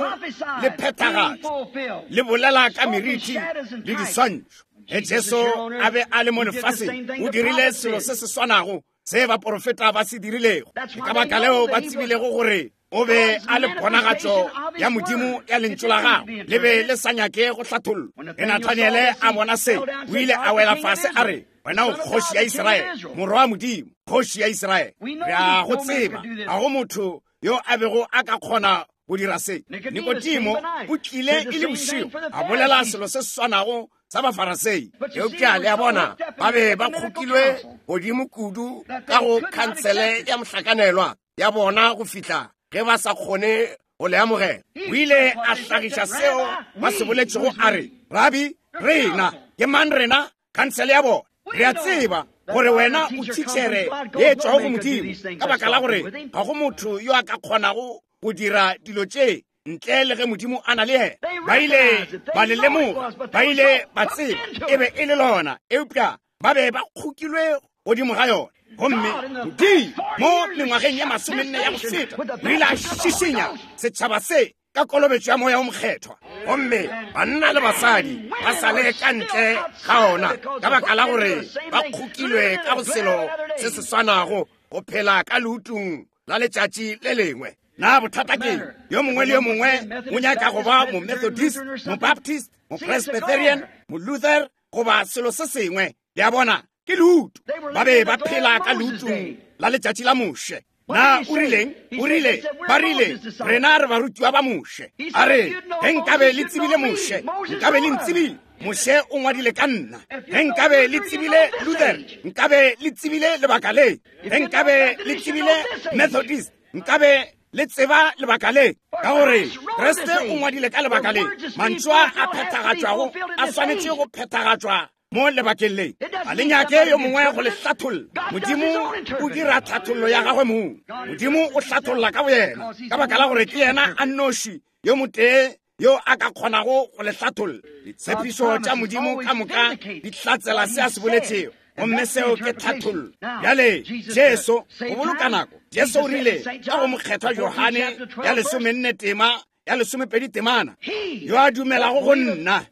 le phethagatšwa, le bolela ka meriti le diswantšho. Ge Jesu a be a le mo lefaseng, o dirile selo se se swanago se baporofeta ba se dirilego. Ke ka baka leo ba tsebilego gore o be a le ponagatšo ya Modimo ya lentšu la gagwe, le be le sa nyake go hlathollwa. Ge Nathaniele a bona se, o ile a wela fase a re, Wena o kgoši ya Israele, morwa wa Modimo, kgoši ya Israele. Re a go tseba, ga go motho yo a bego a ka kgona go dira se. Nikodimo o tlile e le bošego, a bolela selo se swanago sa Bafarasei. Eupša le a bona, ba be ba kgokilwe godimo kudu ka go khansele ya mohlakanelwa ya bona go fihla ge ba sa kgone go le amogela. O ile a hlagiša seo ba se boletšego, a re, Rabi, rena ke mang? Rena khansele ya bona, re a tseba gore wena o thitšhere ye tšwago go Modimo, ka baka la gore ga go motho yo a ka kgonago go dira dilo tše. ntle le ge Modimo a na le yena. Ba ile ba le lemoga, ba ile ba tseba e be e le lona, eupša ba be ba kgokilwe godimo ga yona. Gomme Modimo mo mengwageng ya 40 ya go feta o ile a šišinya setšhaba se ka kolobetšo ya Moya o Mokgethwa, gomme banna le basadi ba sa le ka ntle ga ona ka baka la gore ba kgokilwe ka go selo se se swanago, go phela ka leutung la letšatši le lengwe. Na bothata ke yo mongwe le yo mongwe o nyaka go ba mo-Methodist, mo-Baptist, mo-Presbyterian, mo-Luther goba selo se sengwe. Le a bona, ke leutu. Ba be ba phela ka leutung la letšatši la Moshe. Na o rileng? O rile, ba rile, rena re barutiwa ba Moshe. A re, ge nkabe le tsebile Moshe, nkabe le ntsebile. Moshe o ngwadile ka nna. Ge nkabe le tsebile Luther, nkabe le tsebile lebaka le. Ge nkabe le tsebile Methodist, nkabe le tseba lebaka le, ka gore Kriste o ngwadile ka lebaka le. Mantšu a a phethagatšwago a swanetše go phethagatšwa mo lebakeng le. Ga le nyake yo mongwe go le hlatholla. Modimo o dira tlhathollo ya gagwe mong. Modimo o hlatholla ka boyena, ka baka la gore ke yena a nnoši yo motee yo a ka kgonago go le hlatholla. Ditshepišo tša Modimo ka moka di hlatsela se a se boletšego, gomme seo ke tlhathollo. Bjale Jesu, go boloka nako, Jesu o rile ka go Mokgethwa Johane ya 14 tema ya 12 temana, yo a dumelago go nna,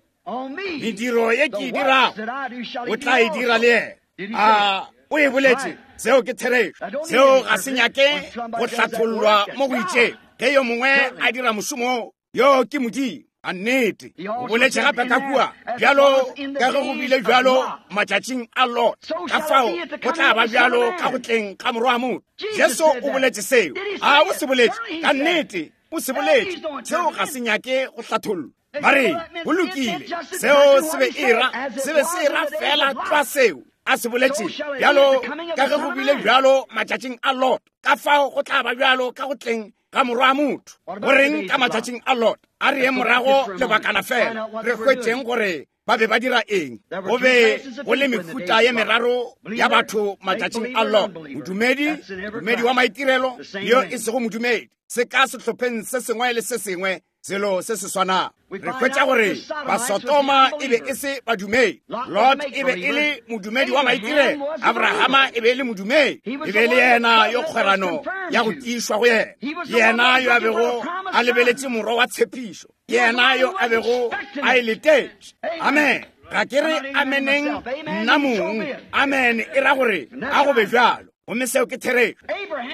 mediro ye ke e dirago o tla e dira le yena. A o e boletše? Seo ke therešo. Seo ga se nyake go hlathollwa mo go itšeng. Ge yo mongwe a dira mošomo, yo ke Modimo. A nnete. O boletše gape ka kua, bjalo ka ge go bile bjalo matšatšing a Lot, ka fao go tla ba bjalo ka go tleng ga Morwa wa motho. Jesu o boletše seo. A o se boletše? Ka nnete o se boletše. Seo ga se nyake go hlathollwa. Ba re, go lokile, seo se be e ra, se be se ra fela tlwa seo a se boletše, bjalo ka ge go bile bjalo matšatšing a Lot, ka fao go tla ba bjalo ka go tleng ga Morwa wa motho. Go reng ka matšatšing a Lot? A re ye morago lebakana fela, re hwetšeng gore ba be ba dira eng. Go be go le mehuta ye meraro ya batho matšatšing a Lot: modumedi, modumedi wa maitirelo, yo e sego modumedi. Se ka sehlopheng se sengwe le se sengwe selo se se swanago. Re hwetša gore Basodoma e be e se badumedi, Lot e be e le modumedi wa maitirelo, Abrahama e be e le modumedi, e be e le yena yo kgwerano ya go tiišwa go yena, ke yena yo a bego a lebeletše morwa wa tshepišo, ke yena yo a bego a e letetše. Amen. Ga ke re ameneng nna mong. Amen e ra gore a go be bjalo, gomme seo ke therešo.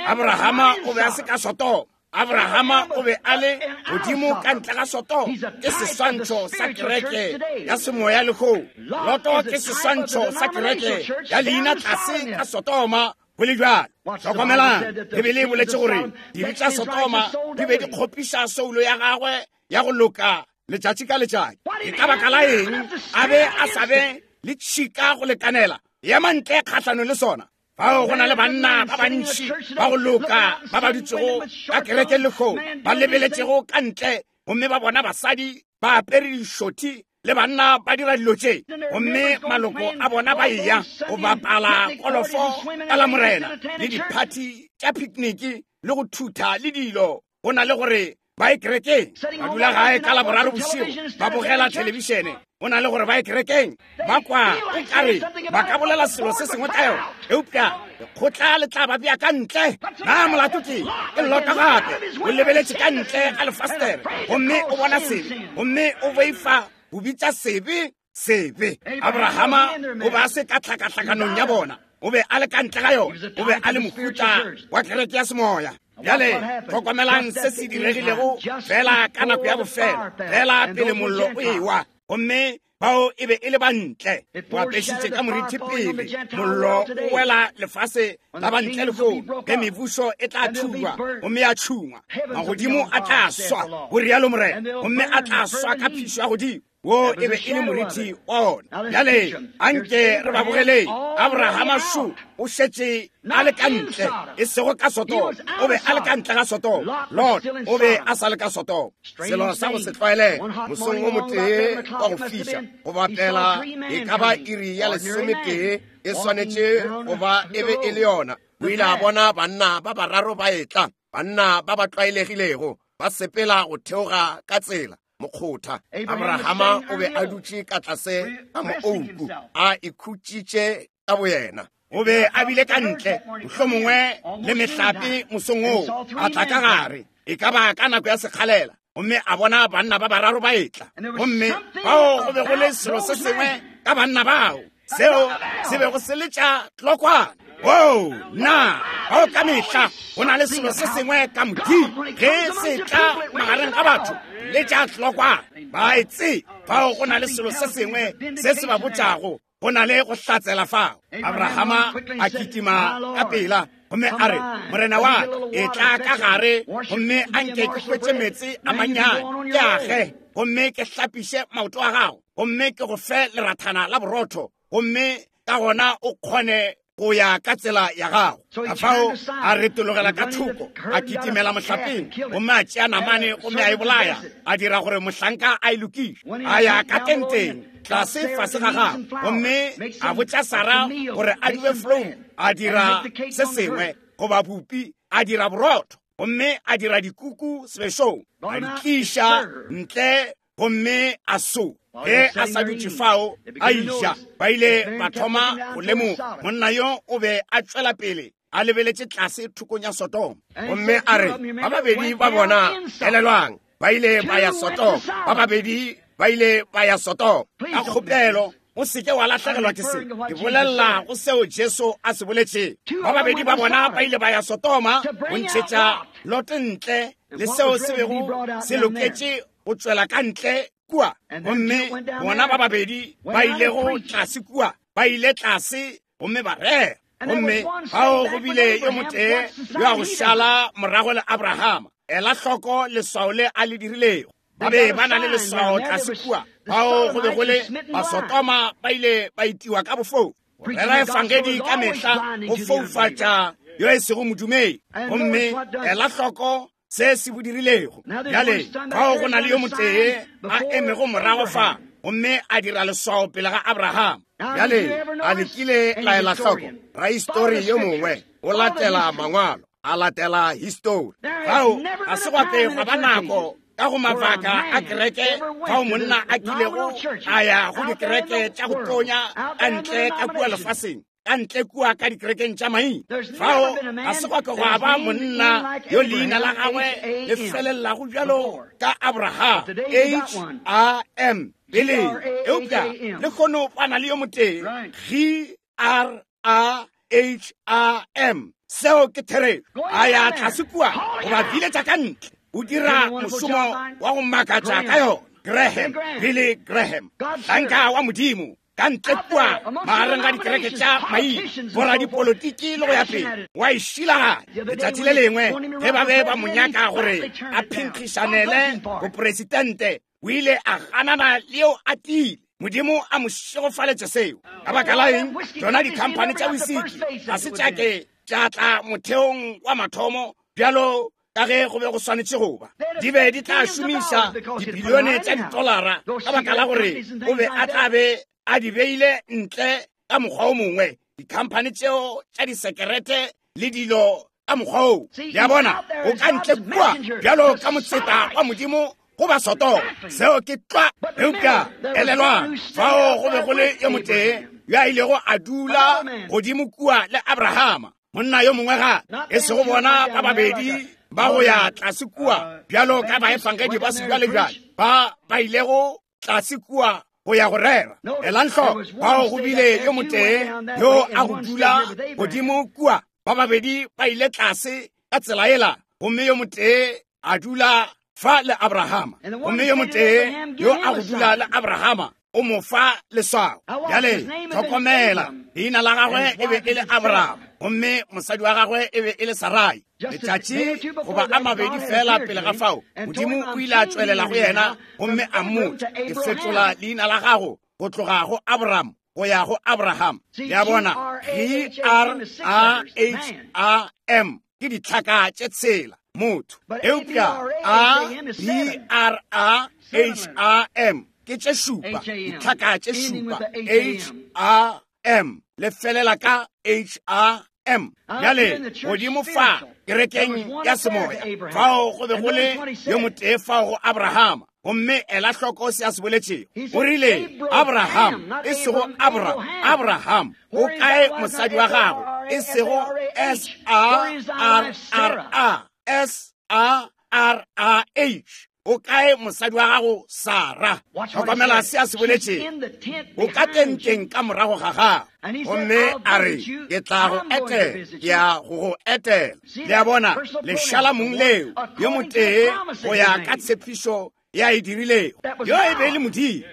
Abrahama o be a se ka Sodoma. Abrahama o be a le godimo ka ntle ga Sodoma. Ke seswantšho sa kereke ya semoya lehono. Loto ke seswantšho sa kereke ya leina tlase ka Sodoma. Go le bjalo, hlokomelang, Bibele e boletše gore dibe tša Sodoma di be di kgopiša soulo ya gagwe ya go loka letšatši ka letšatši. Ke ka baka la eng a be a sa be le tšhika go lekanela ema ntle kgahlanong le sona? Fao go na le banna ba bantši ba go loka ba ba dutšego ka kerekeng lehono, ba lebeletšego ka ntle gomme ba bona basadi ba apere dišothi le banna ba dira dilo tše, gomme maloko a bona ba eya go bapala kolofo ka Lamorena le diphathi tša pikniki le go thutha le dilo, go na le gore ba ye kerekeng. Ba dula gae ka Laboraro bošego ba bogela thelebišene, go na le gore ba ye kerekeng. Ba kwa o kare ba ka bolela selo se sengwe ka yona, eupša lekgotla le tla ba bea ka ntle. Na molato ke ke Lota gape o lebeletše ka ntle ga lefastere gomme o bona sebe, gomme o boifa go bitša sebe sebe. Abrahama o be a se ka tlhakahlakanong ya bona, o be a le ka ntle ga yona, o be a le mohuta wa kereke ya semoya. Bjale hlokomelang se se diregilego fela ka nako ya bofelo, fela pele mollo o ewa, gomme bao e be e le ba ntle. O apešitše ka morithi pele mollo o wela lefase la ba ntle lehono, ge mebušo e tla thulwa gomme ya tšhungwa, magodimo a tla swa, go rialo Morena, gomme a tla swa ka phišo ya godimo. Wo e be e le morithi wa ona. Bjale anke re ba bogeleng. Abrahama šo o šetše a le ka ntle, e sego ka Sodoma. O be a le ka ntle ga Sodoma. Lot o be a sa le ka Sodoma. Selo sa go se tlwaelege, mosong o motee wa go fiša, go bapela e ka ba iri ya 11 e swanetše go ba e be e le yona, o ile a bona banna ba bararo ba etla, banna ba ba tlwaelegilego. Ba sepela go theoga ka tsela mokgotha. Abrahama o be a dutše ka tlase ga moouku, a ikhutšitše ka boyena. O be a bile ka ntle, mohlomongwe le mehlape mosong oo, a tla ka gare, e ka ba ka nako ya sekgalela, gomme a bona banna ba bararo ba etla. Gomme bao go be go le selo se sengwe ka banna bao seo se bego se letša tlokwana. Oo, na bao ka mehla go na le selo se sengwe ka Modimo ge se tla magareng ga batho letša tlokwana. Ba e tsebe, bao go na le selo se sengwe se se ba botšago go na le go hlatsela fao. Abrahama a kitima ka pela gomme a re, Morena wa ka, e tla ka gare gomme a nke ke hwetše meetse a mannyane, ke age gomme ke hlapiše maoto a gago, gomme ke go fe lerathana la borotho, gomme ka gona o kgone go ya ka tsela ya gago. Ka fao a retologela ka thoko, a kitimela mohlapeng, gomme a tšea namane gomme a e bolaya, a dira gore mohlanka a e lokiše. A ya ka tenteng tlase fase ga gagwe, gomme a botša Sara gore a dube flouru, a dira se sengwe goba bupi, a dira borotho, gomme a dira dikuku sebešong, a di tliša ntle gomme a so. Ge a sa dutše fao a iša, ba ile ba thoma go lemoga monna yo o be a tšwela pele a lebeletše tlase thokong ya Sodoma. Gomme a re, ba babedi ba bona, elelwang, ba ile ba ya Sodoma. Ba babedi ba ile ba ya Sodoma. Ka kgopelo o seke wa lahlegelwa ke se. Ke bolelela go seo Jesu a se boletšego. Ba babedi ba bona ba ile ba ya Sodoma go ntšhetša Lot ntle le seo se bego se loketše go tšwela ka ntle kua. Gomme bona ba babedi ba ilego tlase kua, ba ile tlase gomme ba rera. Gomme bao go bile yo motee yo a go šala morago le Abrahama. Ela hloko leswao le a le dirilego. Ba be ba na le leswao tlase kua. Bao go be go le Basodoma ba ile ba itiwa ka bofou. Go rera efangedi ka mehla go foufatša yo e sego modumedi. Gomme ela hloko se se bo dirilego. Bjale fao go na le yo motee a emego morago fa gomme a dira leswao pele ga Abraham. Bjale a le kile la ela hloko rahistori yo mongwe o latela mangwalo, a latela histori. Fao ga se gwa ke gwa ba nako ka go mabaka a kereke fao monna a kilego a ya go dikereke tša go tonya ka ntle ka kua lefaseng, ka ntle kua ka dikerekeng tša maina. Fao ga se gwa ke gwa ba monna yo leina la gagwe le felelago bjalo ka Abraham, H A M, peleng. Eupša lehono ba na le yo motee, G R A H A M. Seo ke therešo. A ya tlase kua go ba biletša ka ntle. O dira mošomo wa go makatša ka yona. Graham, Billy Graham, hlanka wa Modimo, ka ntle kua magareng ga dikereke tša maina, boradipolotiki le go ya pele, wa e šilaganya. Letšatši le lengwe ge ba be ba mo nyaka gore a phenkgišanele boporesitente, o ile a ganana le yeo a tiile. Modimo a mo šegofaletše seo. Ka baka la eng? Tšona dikhamphani tša wisiki ga se tša ke tša tla motheong wa mathomo bjalo ka ge go be go swanetše go ba. Di be di tla šomiša dibilione tša ditolara ka baka la gore o be a tla be a di beile ntle ka mokgwa o mongwe, dikhamphani tšeo tša disekerete le dilo ka mokgwa oo. Le a bona, o ka ntle kua bjalo ka motseta wa Modimo go ba Sodoma. Seo ke tlwa. Eupša elelwang, fao go be go le yo motee yo a ilego a dula godimo kua le Abrahama, monna yo mongwe gape, e sego bona ba babedi ba go ya tlase kua bjalo ka baefangedi ba sebjalebjale ba ba ilego tlase kua go ya go rera. Elang hloko, fao go bile yo motee yo a go dula godimo kua, ba babedi ba ile tlase ka tsela ela, gomme yo motee a dula fa le Abrahama, gomme yo motee yo a go dula le Abrahama o mo fa leswao. Bjale hlokomela, leina la gagwe e be e le Abraham, gomme mosadi wa gagwe e be e le Sarai. Letšatši goba a mabedi fela pele ga fao, Modimo o ile a tšwelela go yena gomme a mmotša, ke fetola leina la gago go tloga go Abraham go ya go Abraham. Le a bona, G R A H A M ke ditlhaka tše tshela, motho. Eupša A B R A H A M ke tše šupa, ditlhaka tše šupa, H A M le felela ka H A M. Bjale, godimo fa, kerekeng ya semoya, fao go be go le yo motee fao go Abrahama. Gomme ela hloko se a se boletšego. O rile, Abraham, e sego Abram, Abraham, o kae mosadi wa gago? E sego S A R R A, S A R A H. O kae mosadi wa gago Sara? Hlokomela se a se boletšego. O ka tenteng ka morago ga gago. Gomme a re, ke tla go etela, ke ya go go etela. Le a bona, lešala mong leo, yo motee go ya ka tshepišo ya e dirilego. Yo e be e le Modimo.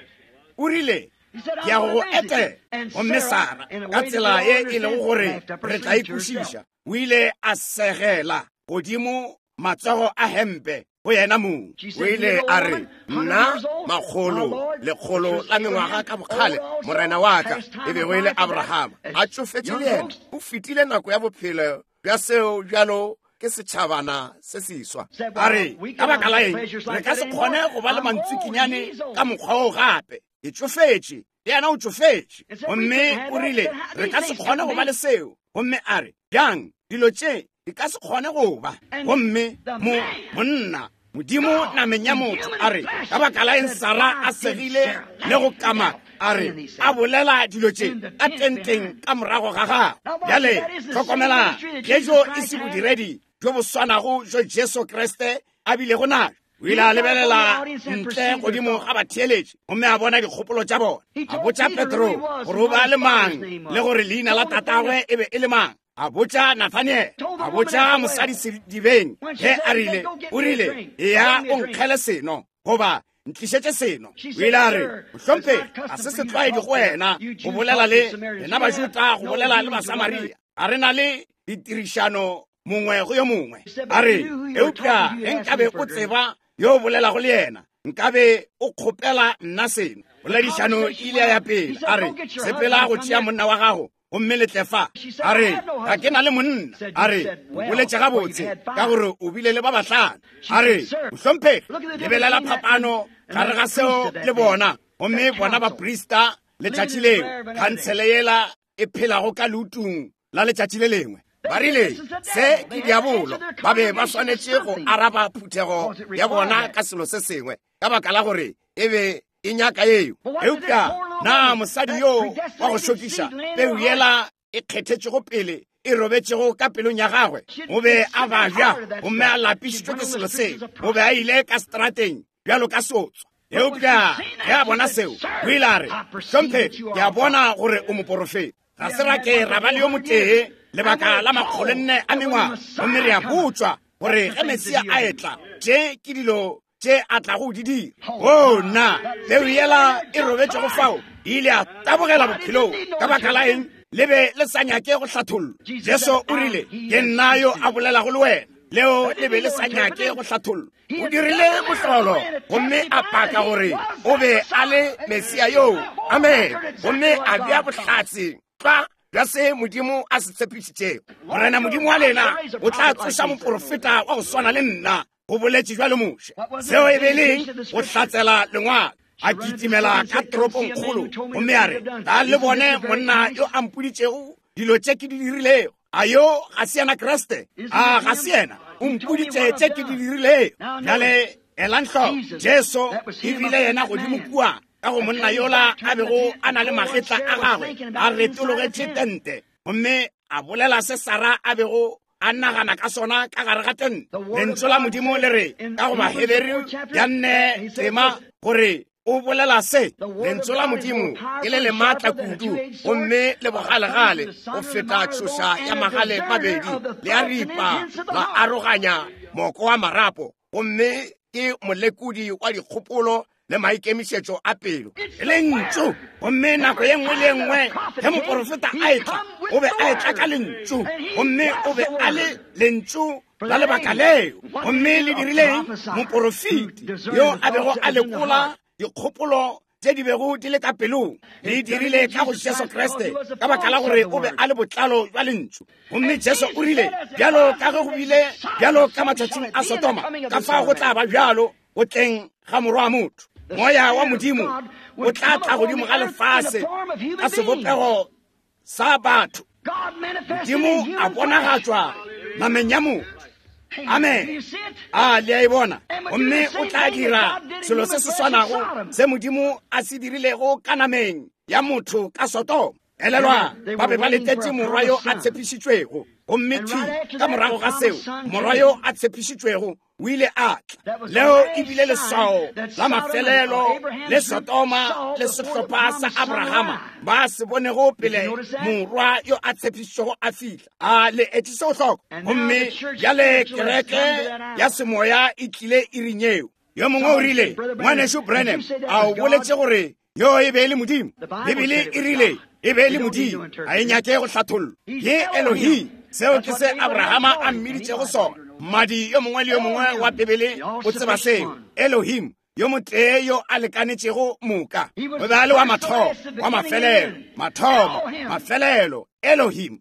O rile, ke ya go go etela. Gomme Sara, ka tsela ye e lego gore re tla e kwešiša, o ile a segela godimo matsogo a hempe go yena mong. O ile a re, nna makgolo lekgolo la mengwaga ka bokgale, morena wa ka e bego e le Abrahama, a tšofetše le yena, o fetile nako ya bophelo bja seo bjalo ke setšhabana se seswa. A re, ka baka la eng re ka se kgone go ba le mantswikinyane ka mokgwa o gape? Ke tšofetše, le yena o tšofetše. Gomme o rile, re ka se kgone go ba le seo. Gomme a re, bjang, dilo tše di ka se kgone go ba. Gomme monna, Modimo nameng ya motho, a re, ka baka la eng Sara a segile le go kama, a re, a bolela dilo tše ka tenteng ka morago ga gagwe. Bjale hlokomela, Jesu e se bodiredi bjo bo swanago jo Jesu Kriste a bilego najo. O ile a lebelela ntle godimo ga batheeletši gomme a bona dikgopolo tša bona. A botša Petro gore o be a le mang le gore leina la tatagwe e be e le mang. A botša Nathaniel, a botša mosadi sedibeng ge a rile, o rile, eya o nkgele seno, goba ntlišetše seno. O ile a re, mohlomphegi, ga se setlwaedi go wena go bolela le rena Bajuda, go bolela le Basamaria. A re na le ditirišano mongwe go yo mongwe. A re, eupša ge nkabe o tseba yo o bolelago le yena, nkabe o kgopela nna seno. Poledišano e ile ya pele. A re, sepela go tšea monna wa gago gomme le tle fa. A re, ga ke na le monna. A re, o boletše gabotse ka gore o bile le ba bahlano. A re, mohlomphegi, lebelela phapano gare ga seo le bona. Gomme bona baprista letšatši leo, khansele yela e phelago ka leutung la letšatši le lengwe, ba rile, se ke diabolo. Ba be ba swanetše go araba phuthego ya bona ka selo se sengwe, ka baka la gore e be e nyaka yeo. Eupša na mosadi yo wa go šokiša, peu yela e kgethetšego pele e robetšego ka pelong ya gagwe, o be a babja gomme a lapišitšwe ke selo seo. O be a ile ka strateng bjalo ka sotswa. Eupša ge a bona seo, o ile a re, hlomphegi, ke a bona gore o moporofeta. Ga se ra ke ra ba le yo motee lebaka la 400 a mengwaga, gomme re a botšwa gore ge Mesia a etla, tše ke dilo tše a tlago di dira. O nna, peu yela e robetšego fao e ile a tabogela bophelong. Ka baka la eng? Le be le sa nyake go hlathollwa. Jesu o rile, ke nna yo a bolelago le wena. Leo le be le sa nyake go hlathollwa. O dirile mohlolo gomme a paka gore o be a le Mesia yoo. Amen. Gomme a bea bohlatse tlwa bja se Modimo a se tshepišitšego. Morena Modimo wa lena o tla tsoša moporofeta wa go swana le nna, go boletše bjalo Moshe. Seo e be leng go hlatsela lengwalo. A kitimela ka toropongkgolo gomme a re, tla le bone monna yo a mpoditšego dilo tše ke di dirilego. A yo ga se yena Kriste? A ga se yena? O mpoditše tše ke di dirilego. Bjale elang hloko, Jesu e bile yena godimo kua ka go monna yola a bego a na le magetla a gagwe a retologetše tente, gomme a bolela se Sara a bego a nagana ka sona ka gare ga tente. Lentšu la Modimo le re ka go Baheberu ya 4 tema gore o bolela se, lentšu la Modimo ke le le maatla kudu gomme le bogalegale go feta tšhoša ya magale mabedi, le a ripa la aroganya moko wa marapo, gomme ke molekodi wa dikgopolo le maikemišetšo a pelo. Lentšu. Gomme nako ye nngwe le ye nngwe ge moporofeta a etla, o be a etla ka lentšu, gomme o be a le lentšu la lebaka leo. Gomme le dirileng? Moporofeti yo a bego a lekola dikgopolo tše di bego di le ka pelong, le dirile ka go Jesu Kriste, ka baka la gore o be a le botlalo jwa lentšu. Gomme Jesu o rile, bjalo ka ge go bile bjalo ka matšatšing a Sodoma, ka fao go tla ba bjalo go tleng ga Morwa wa motho. Moya wa Modimo o tla tla godimo ga lefase ka sebopego sa batho. Modimo a bonagatšwa nameng ya motho. Amen. A le a e bona? Gomme o tla dira selo se se swanago se Modimo a se dirilego ka nameng ya motho ka Sodoma. Elelwa, ba be ba letetše morwa yo a tshepišitšwego. Gomme thwi ka morago ga seo, morwa yo a tshepišitšwego o ile a tla. Leo e bile leswao la mafelelo le Sodoma le sehlopha sa Abrahama ba se bonego pele morwa yo a tshepišitšwego a fihla. A le etše seo hloko? Gomme bjale kereke ya semoya e tlile iring yeo. Yo mongwe o rile, Ngwanešu Branham, a o boletše gore yo e be e le Modimo? Bibele e rile e be e le Modimo. Ga e nyake go hlathollwa. Ke Elohim. Seo ke se Abrahama a mmiditšego sona. Mmadi yo mongwe le yo mongwe wa Bibele o tseba seo. Elohim, yo motee yo a lekanetšego moka. O be a le wa mathomo, wa mafelelo, mathomo, mafelelo, Elohim.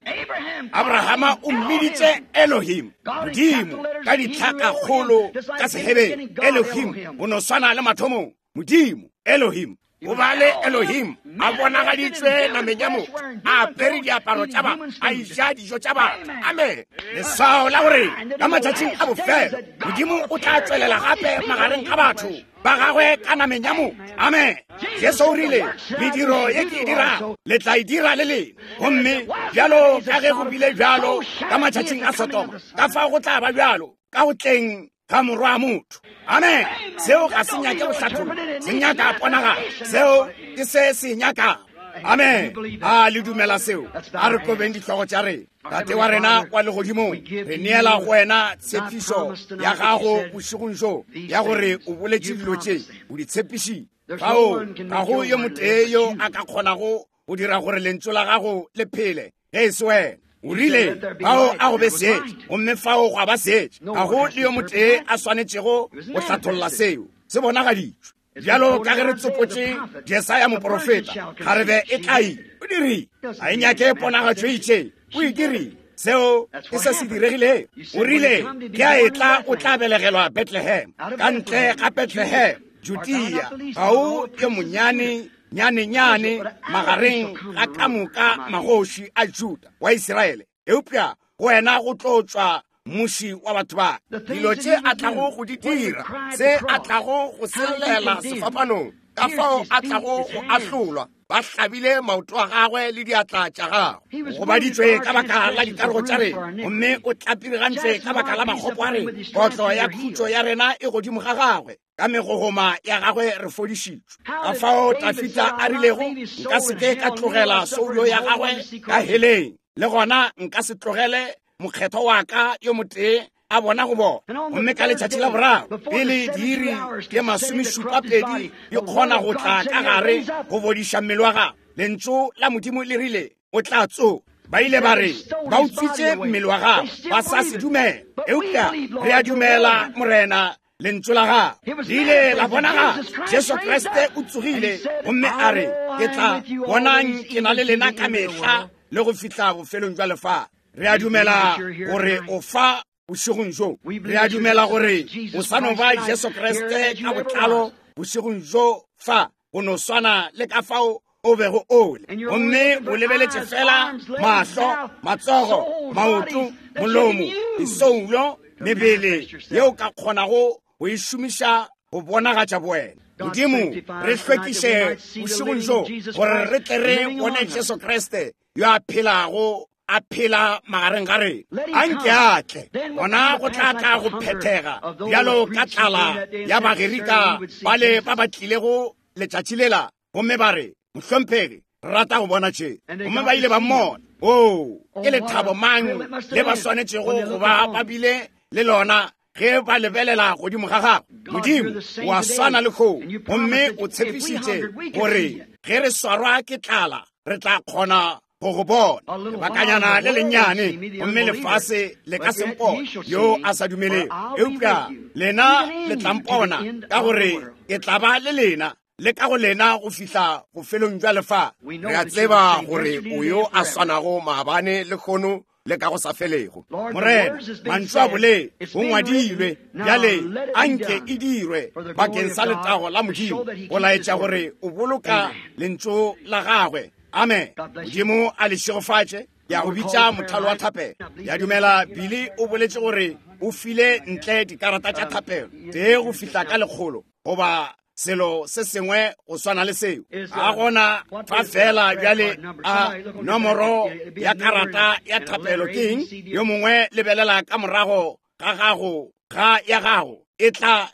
Abrahama o mmiditše Elohim, Modimo, ka ditlhakakgolo ka Sehebere. Elohim, o no swana le mathomong. Modimo, Elohim. O ba le Elohim a bonagaditšwe nameng ya motho, a apere diaparo tša batho, a eja dijo tša batho. Amen. Leswao la gore ka matšatšing a bofelo Modimo o tla tšwelela gape magareng ga batho ba gagwe ka nameng ya motho. Amen. Jesu o rile, mediro ye ke e dirago le tla e dira le lena. Gomme bjalo ka ge go bile bjalo ka matšatšing a Sodoma, ka fao go tla ba bjalo ka go tleng ga morwa wa motho. Amen. Seo ga se nyake go hlathollwa, se nyaka ponagalo. Seo ke se se nyakago. Amen. A le dumela seo? A re kobeng dihlogo tša rena. Tate wa rena wa legodimong, re neela go wena tshepišo ya gago bošegong bjo, ya gore o boletše dilo tše, o di tshepišitše. Fao ga go yo motee yo a ka kgonago go dira gore lentšu la gago le phele ge e se wena. O rile, fao a go be seetša, gomme fao gwa ba seetša. Ga go le yo motee a swanetšego go hlatholla seo. Se bonagaditšwe. Bjalo ka ge re tsopotše Jesaya moprofeta, kgarebe e tla ile. O dirile. Ga e nyake ponagatšo e itšeng. O e dirile. Seo ke se se diregilego. O rile, ke a etla, o tla belegelwa Bethlehem. Ka ntle ga Bethlehem, Judea, ga o yo monyane nyane-nyane magareng ga ka moka magoši a Juda wa Isiraele, eupša go wena go tlo tšwa mmuši wa batho ba. Dilo tše a tlago go di dira, se a tlago go se llela sefapanong, ka fao a tlago go ahlolwa, ba hlabile maoto a gagwe le diatla tša gagwe. O gobaditšwe ka baka la dikarogo tša rena, gomme o tlapirigantšwe ka baka la makgopo a rena. Kotlo ya khutšo ya rena e godimo ga gagwe, ka megogoma ya gagwe re fodišitšwe. Ka fao Dafida a rilego, nka se ke ka tlogela soulo ya gagwe ka heleng, le gona nka se tlogele mokgethwa wa ka yo motee a bona go bona. Gomme ka letšatši la boraro, pele diiri tše 70 di kgona go tla ka gare go bodiša mmele wa gagwe, lentšu la Modimo le rile o tla tsoga. Ba ile ba re ba utswitše mmele wa gagwe, ba sa se dumela. Eupša re a dumela, Morena, lentšu la gagwe le ile la bonagala. Jesu Kriste o tsogile gomme a re, ke tla bonang ke na le lena ka mehla le go fihla bofelong jwa lefase. Re a dumela gore o fa bošegong bjo. Re a dumela gore o sa no ba Jesu Kriste ka botlalo bošegong bjo fa, go no swana le ka fao o bego o le. Gomme o lebeletše fela mahlo, matsogo, maoto, molomo, disoulo, mebele yeo ka kgonago go e šomiša go bonagatša bowena. Modimo, re hlwekiše bošegong bjo gore re tle re bone Jesu Kriste yo a phelago a phela magareng ga rena. A nke a tle, gona go tla tla go phethega bjalo ka tlala ya Bagerika bale ba ba tlilego letšatši lela, gomme ba re, Mohlomphegi, re rata go bona tše. Gomme ba ile ba mmona. Oo, ke lethabo mang le ba swanetšego go ba ba bile le lona ge ba lebelela godimo ga gagwe. Modimo o a swana le kgomo, gomme o tshepišitše gore ge re swarwa ke tlala re tla kgona go go bona. Lebakanyana le lennyane, gomme lefase le ka se mpone, yo a sa dumelego. Eupša lena le tla mpona, ka gore ke tla ba le lena le ka go lena go fihla bofelong jwa lefase. Re a tseba gore o yo a swanago maabane le kgono le ka go sa felego. Morena, mantšu a bolele go ngwadilwe, bjale a nke e dirwe bakeng sa letago la Modimo, go laetša gore o boloka lentšu la gagwe. Amen. Modimo a le šegofatše. Ke ya go bitša mothalo wa thapelo. Ya dumela Billy o boletše gore o file ntle dikarata tša thapelo tee go fihla ka 100 goba selo se sengwe go swana le seo. A gona fa fela bjale a nomoro ya karata ya thapelo ke eng? Yo mongwe lebelela ka morago ga gago ga ya gago e tla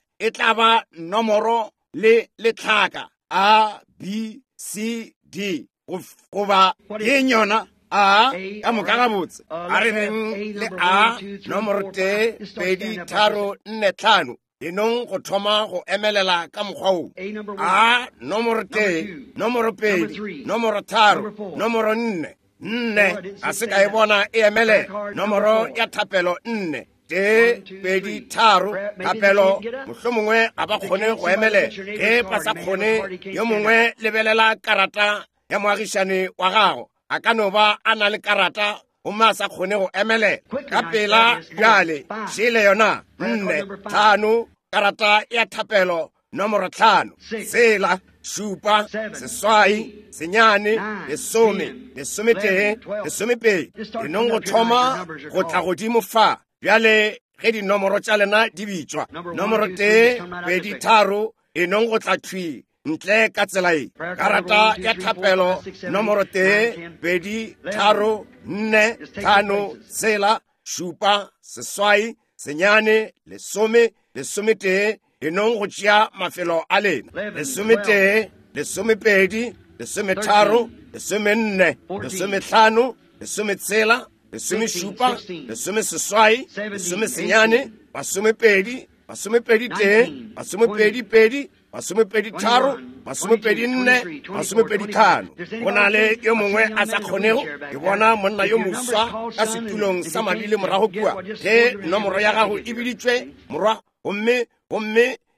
ba nomoro le letlhaka A B C D goba ke eng yona? A ka moka gabotse. A re reng le A nomoro 1 2 3 4 5. Enong go thoma go emelela ka mokgwa wo. A nomoro 1, nomoro 2, nomoro 3, nomoro 4. 4 ga se ka e bona e emelela. Nomoro ya thapelo 4. 1 2 3 thapelo mohlomongwe ga ba kgone go emelela. Ge ba sa kgone, yo mongwe lebelela karata ya moagišane wa gago. A ka no ba a na le karata gomme a sa kgone go emelela. Ka pela bjale šele yona 4 5 karata ya thapelo nomoro 5 6 7 8 9 10 11 12. Enong go thoma go tla godimo fa bjale ge dinomoro tša lena di bitšwa. Nomoro 1 2 3 enong go tla thwi ntle ka tsela e. Karata ya thapelo nomoro 1 2 3 4 5 6 7 8 9 10 11. Enong go tšea mafelo a lena. 11 12 13 14 15 16 17 18 19 20 21 22 23 24 25. Go na le yo mongwe a sa kgonego. Ke bona monna yo moswa ka setulong sa mabili morago kua. Ge nomoro ya gago e biditšwe, morwa, gomme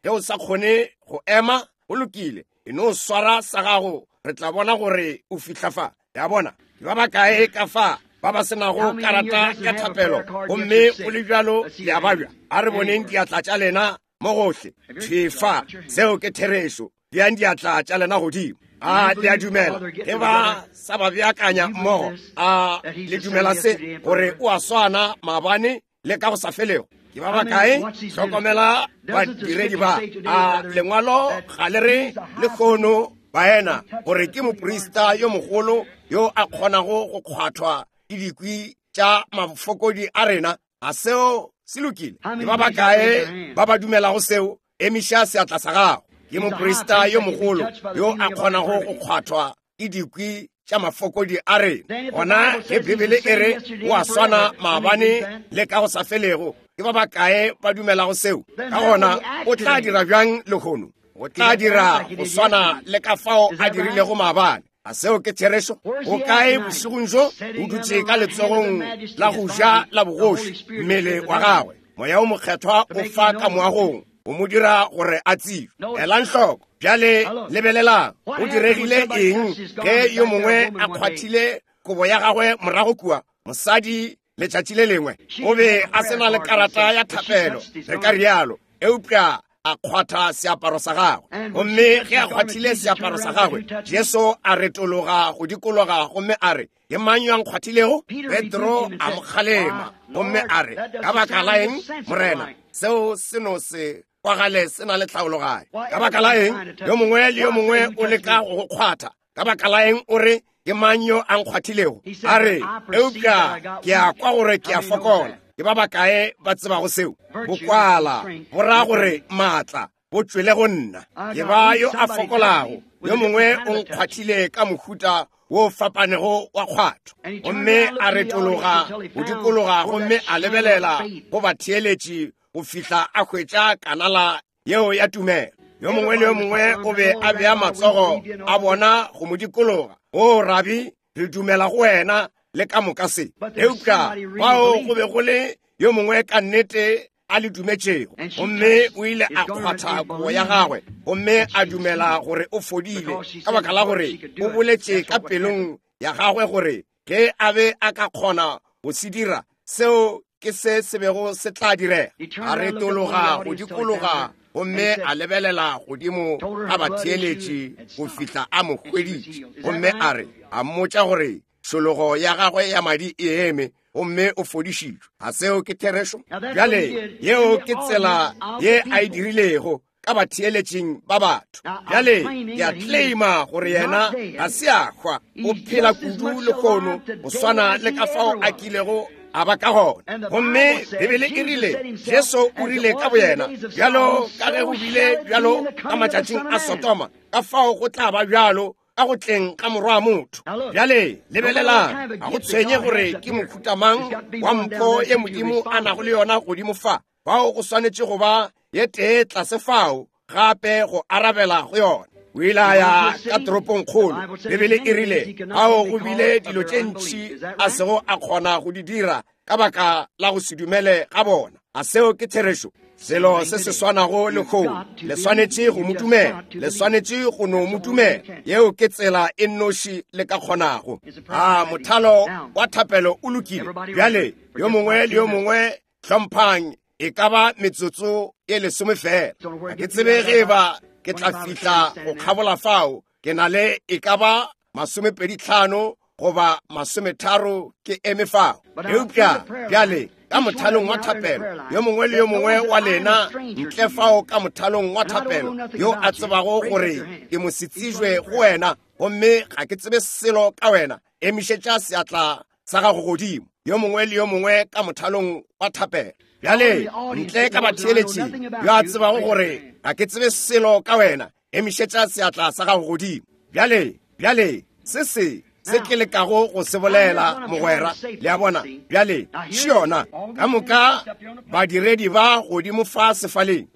ge o sa kgone go ema, go lokile, e no swara sa gago, re tla bona gore o fihla fa. Ya bona ke ba bakae ka fa ba ba senago karata ya thapelo gomme go le bjalo le a babja. A re boneng diatla tša lena mo gohle. Thefa, seo ke therešo. Beang diatla tša lena godimo. A le a dumela ge ba sa ba beakanya mmogo? A le dumela se gore o a swana maabane le ka go sa felego? Ke ba bakae? Hlokomela badiredi ba. A lengwalo ga le re lehono baena gore ke moprista yo mogolo yo a kgonago go kgwathwa ke dikwi tša mafokodi a rena? A seo se lokile? Ke ba bakae ba ba dumelago seo? Emiša seatla sa gago. Ke moprista yo mogolo yo a kgonago go kgwathwa ke dikwi tša mafokodi a rena. Gona ge Bibele e re o a swana maabane le ka go sa felego, ke ba bakae ba dumelago seo? Ka gona o tla dira bjang lehono? O tla dira go swana le ka fao a dirilego maabane. A seo ke therešo? O kae bošegong bjo? O dutše ka letsogong la go ja la bogoši, mmele wa gagwe. Moya o mokgethwa o fa ka moagong, o mo dira gore a tsebe. Elang hloko bjale, lebelelang go diregile eng ge yo mongwe a kgwathile kobo ya gagwe morago kua. Mosadi letšatši le lengwe o be a se na le karata ya thapelo, re ka rialo, eupša a kgwatha seaparo sa gagwe. Gomme ge a kgwathile seaparo sa gagwe, Jesu a retologa go dikologa gomme a re, ke mang yo a nkgwathilego? Petro a mo kgalema gomme a re, ka baka la eng, Morena? Seo se no se kwagale se na le tlhaologanyo. Ka baka la eng yo mongwe le yo mongwe o leka go go kgwatha? Ka baka la eng o re, ke mang yo a nkgwathilego? A re, eupša ke a kwa gore ke a fokola. Ke ba bakae ba tsebago seo? Bokwala bo ra gore maatla bo tšwele go nna. Ke ba yo a fokolago. Yo mongwe o nkgwathile ka mohuta wo fapanego wa kgwatho. Gomme a retologa go dikologa gomme a lebelela go batheeletši go fihla a hwetša kanala yeo ya tumelo. Yo mongwe le yo mongwe o be a bea matsogo a bona go mo dikologa. O rabi, re dumela go wena le ka moka se. Eupša bao go be go le yo mongwe ka nnete a le dumetšego, gomme o ile a kgwatha kobo ya gagwe gomme a dumela gore o fodile, ka baka la gore o boletše ka pelong ya gagwe gore ge a be a ka kgona go se dira, seo ke se se bego se tla direga. A retologa go dikologa gomme a lebelela godimo ga batheeletši go fihla a mo hweditše, gomme a re, a mmotša gore Tšhologo ya gagwe ya madi e eme, gomme o fodišitšwe. A seo ke therešo? Bjale, yeo ke tsela ye a e dirilego ka batheeletšing ba batho. Bjale, ke a claima gore yena ga se a hwa, o phela kudu lehono go swana le ka fao a kilego a ba ka gona. Gomme Bibele e rile, Jesu o rile ka boyena, bjalo ka ge go bile bjalo ka matšatšing a Sodoma, ka fao go tla ba bjalo ka go tleng ga morwa motho. Bjale lebelelang, ga go tshwenye gore ke mohuta mang wa mpho ye Modimo a nago le yona godimo fa, fao go swanetše go ba ye tee tlase fao gape go arabela go yona. O ile a ya ka toropongkgolo. Bibele e rile ao go bile dilo tše ntši a sego a kgona go di dira ka baka la go se dumele ga bona. A seo ke therešo? Selo se se swanago lehono, le swanetše go mo dumela, le swanetše go no mo dumela. Yeo ke tsela e nnoši le ka kgonago. A mothalo wa thapelo o lokile bjale? Yo mongwe le yo mongwe hlomphang e ka ba metsotso e lesome fela. Ga ke tsebe ge e ba ke tla fihla go kgabola fao. Ke na le e ka ba 25 goba 30 ke eme fao. Eupša bjale ka mothalong wa thapelo, yo mongwe le yo mongwe wa lena ntle fao ka mothalong wa thapelo, yo a tsebago gore ke mosetsebje go wena gomme ga ke tsebe selo ka wena, emišetša seatla sa gago godimo. Yo mongwe le yo mongwe ka mothalong wa thapelo. Bjale ntle ka batheeletšing, yo a tsebago gore ga ke tsebe selo ka wena, emišetša seatla sa gago godimo. Bjale, bjale, se se se ke lekago go se bolela, mogwera, le a bona. Bjale, še yona, ka moka badiredi ba godimo fa sefaleng,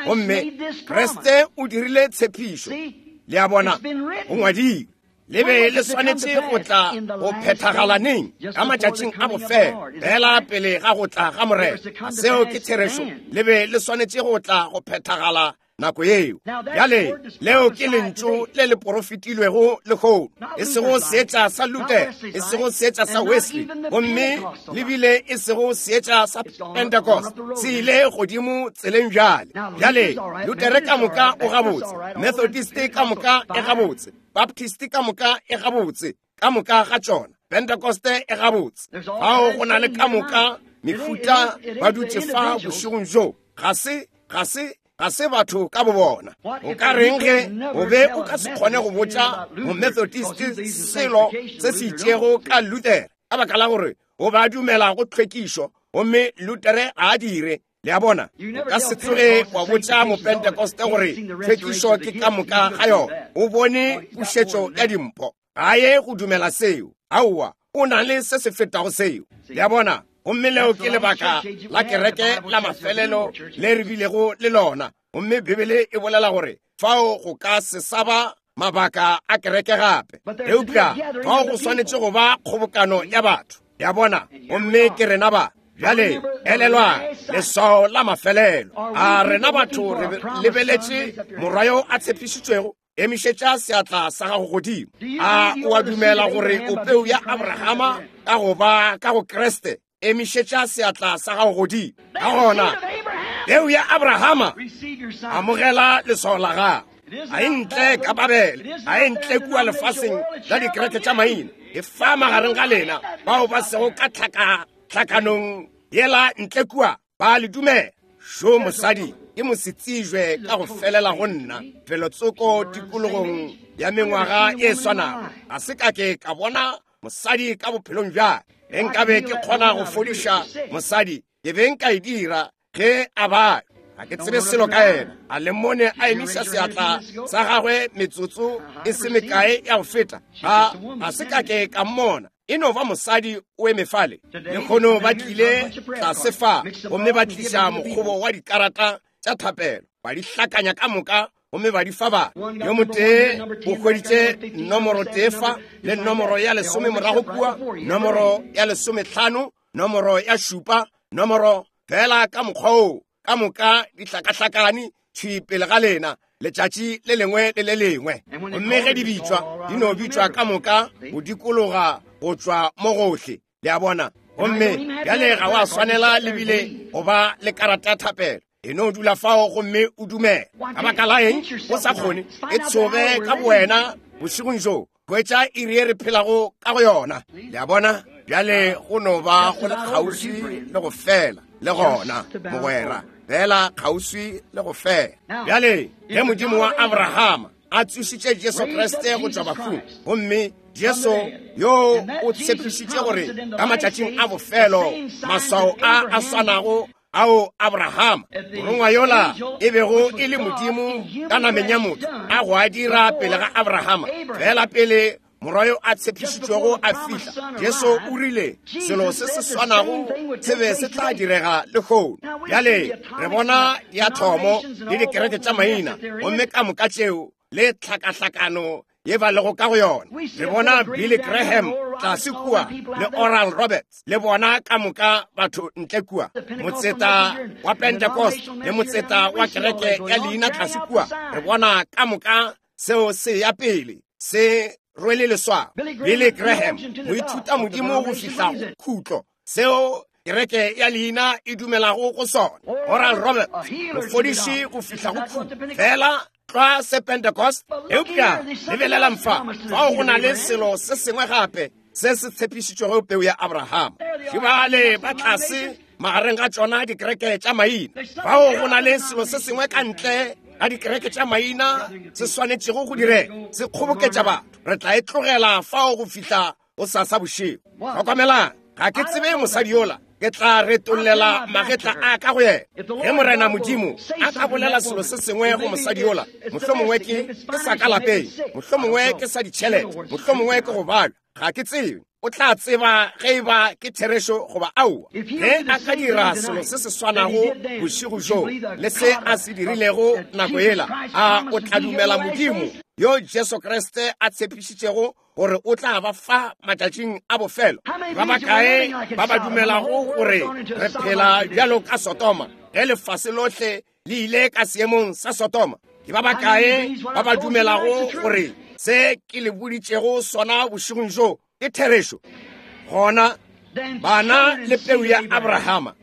gomme Kriste o dirile tshepišo, le a bona, go ngwadilwe. Le be le swanetše go tla go phethagala neng? Ka matšatšing a bofelo, fela pele ga go tla ga Morena. Seo ke therešo. Le be le swanetše go tla go phethagala nako yeo. Bjale, leo ke lentšu le le porofetilwego lehono, e sego seetša sa Luther, e sego seetša sa Wesley, gomme le bile e sego seetša sa Pentecost. Se ile godimo tseleng bjale. Bjale, Luther ka moka o gabotse, Methodist ka moka e gabotse, Baptist ka moka e gabotse, ka moka ga tšona, Pentecost e gabotse. Fao go na le ka moka mehuta ba dutše fa bošegong bjo. Ga se, ga se, ga se batho ka bobona. O ka reng ge o be o ka se kgone go botša Momethodist selo se se itšego ka Luther, ka baka la gore o ba dumela go tlhwekišo, gomme Luther ga a dire. Le a bona? O ka se tsoge wa botša Mopentekoste gore tlhwekišo ke ka moka ga yona. O bone pušetšo ya dimpho, ga ye go dumela seo. Aowa, o na le se se fetago seo. Le a bona? Gomme leo ke lebaka la kereke la mafelelo le re bilego le lona. Gomme Bibele e bolela gore fao go ka se sa ba mabaka a kereke gape, eupša fao go swanetše go ba kgobokano ya batho. Le a bona? Gomme ke rena ba. Bjale elelwang leswao la mafelelo. A rena batho re lebeletše morwa yo a tshepišitšwego? Emišetša seatla sa gago godimo. A o a dumela gore o peu ya Abrahama ka go ba ka go Kriste? Emišetša seatla sa gago godimo. Ka gona, peu ya Abrahama, amogela leswao la gago. A e ntle ka Babele, a e ntle kua lefaseng la dikereke tša maina, e fa magareng ga lena bao ba sego ka tlhakanong yela ntle kua, ba le dumela. Šo mosadi ke mosetsebje ka go felela go nna, felotsoko tikologong ya mengwaga e swanago. Ga se ka ke ka bona mosadi ka bophelong bja ka. Ge nkabe ke kgona go fodiša mosadi, ke be nka e dira ge a ba. Ga ke tsebe selo ka yena. A le mmone a emiša seatla sa gagwe metsotso e se mekae ya go feta? Ga se ka ke ka mmona. E no ba mosadi o eme fale. Lekgono ba tlile tlase fa gomme ba tliša mokgobo wa dikarata tša thapelo, ba di hlakanya ka moka gomme ba di fa ba. Yo motee o hweditše nomoro tee fa, le nomoro ya 10 morago kua, nomoro ya 15, nomoro ya 7, nomoro fela ka mokgwa oo, ka moka di hlakahlakane thwi pele ga lena letšatši le lengwe le le lengwe. Gomme ge di bitšwa, di no bitšwa ka moka go dikologa go tšwa mo gohle. Le a bona? Gomme bjale ga wa swanela le bile go ba le karata ya thapelo. E no dula fao gomme o dumele. Ka baka la eng o sa kgone? E tshoge ka bowena bošegong bjo. Hwetša iri ye re phelago ka go yona. Le a bona? Bjale go no ba go le kgauswi le go fela, le gona, mogwera, fela kgauswi le go fela. Bjale, ge Modimo wa Abrahama a tsošitše Jesu Kriste go tšwa bafung, gomme Jesu yo o tshepišitše gore ka matšatšing a bofelo maswao a a swanago ao Abrahama morongwa yola e bego e le Modimo ka nameng ya motho a go a dira pele ga Abrahama, fela pele morwa yo a tshepišitšwego a fihla, Jesu o rile selo se se swanago se be se tla direga lehono. Bjale re bona diathomo le dikereke tša maina, gomme ka moka tšeo le tlhakahlakano ye ba lego ka go yona. Re bona Billy Graham tlase kua le Oral Roberts, le bona ka moka batho ntle kua, motseta wa Pentecost le motseta wa kereke ya leina tlase kua. Re bona ka moka seo se ya pele se rwele leswao. Billy Graham, moithuta modimo go fihla go khutlo, seo kereke ya leina e dumelago go sona. Oral Roberts, mofodiši go fihla go khutlo, fela tlwa se Pentecost. Eupša lebelelang fa, fao go na le selo se sengwe gape se se tshepišitšwego peu ya Abrahama. Šibale ba tlase magareng ga tšona dikereke tša maina. Fao go na le selo se sengwe ka ntle ga dikereke tša maina se swanetšego go direga, se kgoboketša batho. Re tla e tlogela fao go fihla go sasa bošego. Hlokomelang, ga ke tsebe mosadi yola, ke tla retollela magetla a ka go yena. Ge Morena Modimo a ka bolela selo se sengwe go mosadi yola, mohlomongwe ke sa ka lapeng, mohlomongwe ke sa ditšhelete, mohlomongwe ke go balwa, ga ke tsebe. O tla tseba ge e ba ke therešo goba aowa. Ge a ka dira selo se se swanago bošego bjo le se a se dirilego nako yela, a o tla dumela Modimo yo Jesu Kriste a tshepišitšego gore o tla ba fa matšatšing a bofelo? Ba bakae ba ba dumelago gore re phela bjalo ka Sodoma, ge lefase lohle le ile ka seemong sa Sodoma? Ke ba bakae ba ba dumelago gore se ke le boditšego sona bošegong bjo ke therešo? Gona bana le peu ya Abrahama,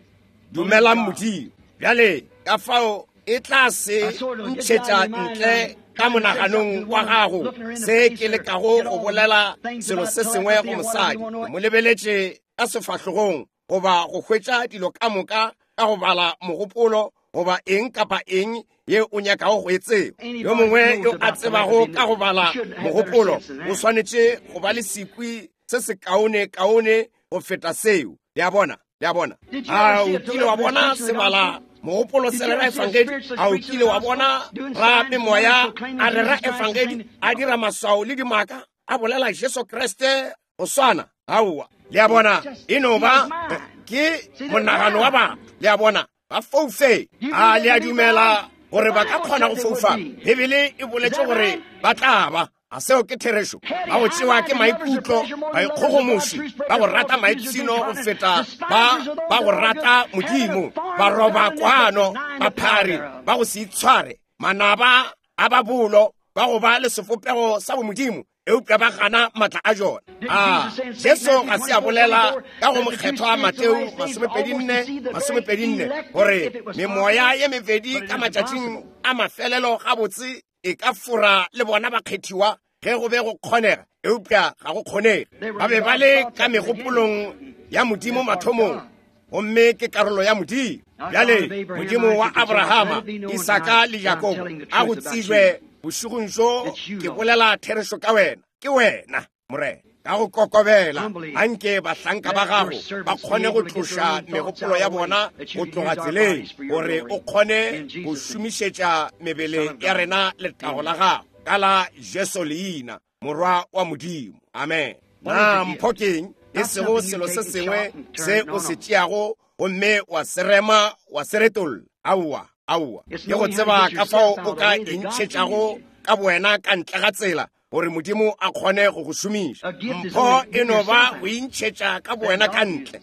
dumelang Modimo. Bjale ka fao e tla se ntšhetša ntle ka monaganong wa gago se ke lekago go bolela selo se sengwe go mosadi. Ke mo lebeletše ka sefahlogong goba go hwetša dilo ka moka ka go bala mogopolo goba eng kapa eng ye o nyakago go e tseba. Yo mongwe yo a tsebago ka go bala mogopolo o swanetše go ba le sekwi se se kaone kaone go feta seo. Le a bona? Le a bona? A o kile wa bona se bala mogopolo se rera efangedi? A o kile wa bona ra memoya a rera efangedi, a dira maswao le dimaka, a bolela Jesu Kriste go swana? Aowa. Le a bona? E no ba ke monagano wa batho. Le a bona? Ba foufe. A le a dumela gore ba ka kgona go foufa? Bibele e boletše gore ba tla ba. A seo ke therešo? Ba go tšewa ke maikutlo, baikgogomoši, ba go rata maipshino go feta ba ba go rata Modimo, ba roba kwano, baphari, ba go se itshware, manaba a ba bolo, ba go ba le sefopego sa bomodimo, eupša ba gana matla a jona. A Jesu ga se a bolela ka go mokgethwa Mateo 24:24 gore memoya ye mebedi ka matšatšing a mafelelo gabotse e ka fora le bona bakgethiwa ge go be go kgonega, eupša ga go kgonege. Ba be ba le ka megopolong ya Modimo mathomong, gomme ke karolo ya Modimo. Bjale Modimo wa Abrahama, Isaka le Jakobo a go tsejwe bošegong bjo ke bolela therešo ka wena. Ke wena, Morena. Ka go kokobela, anke bahlanka ba gago ba kgone go tloša megopolo ya bona go tloga tseleng, gore o kgone go šomišetša mebele ya rena letago la gago, ka la Jesu leina, Morwa wa Modimo. Amen. Na mpho keng? E sego selo se sengwe se o se tšeago gomme wa se rema wa se retolla. Aowa, aowa. Ke go tseba ka fao o ka intšhetšago ka bowena ka ntle ga tsela, gore Modimo a kgone go go šomiša. Mpho e no ba go intšhetša ka bowena ka ntle,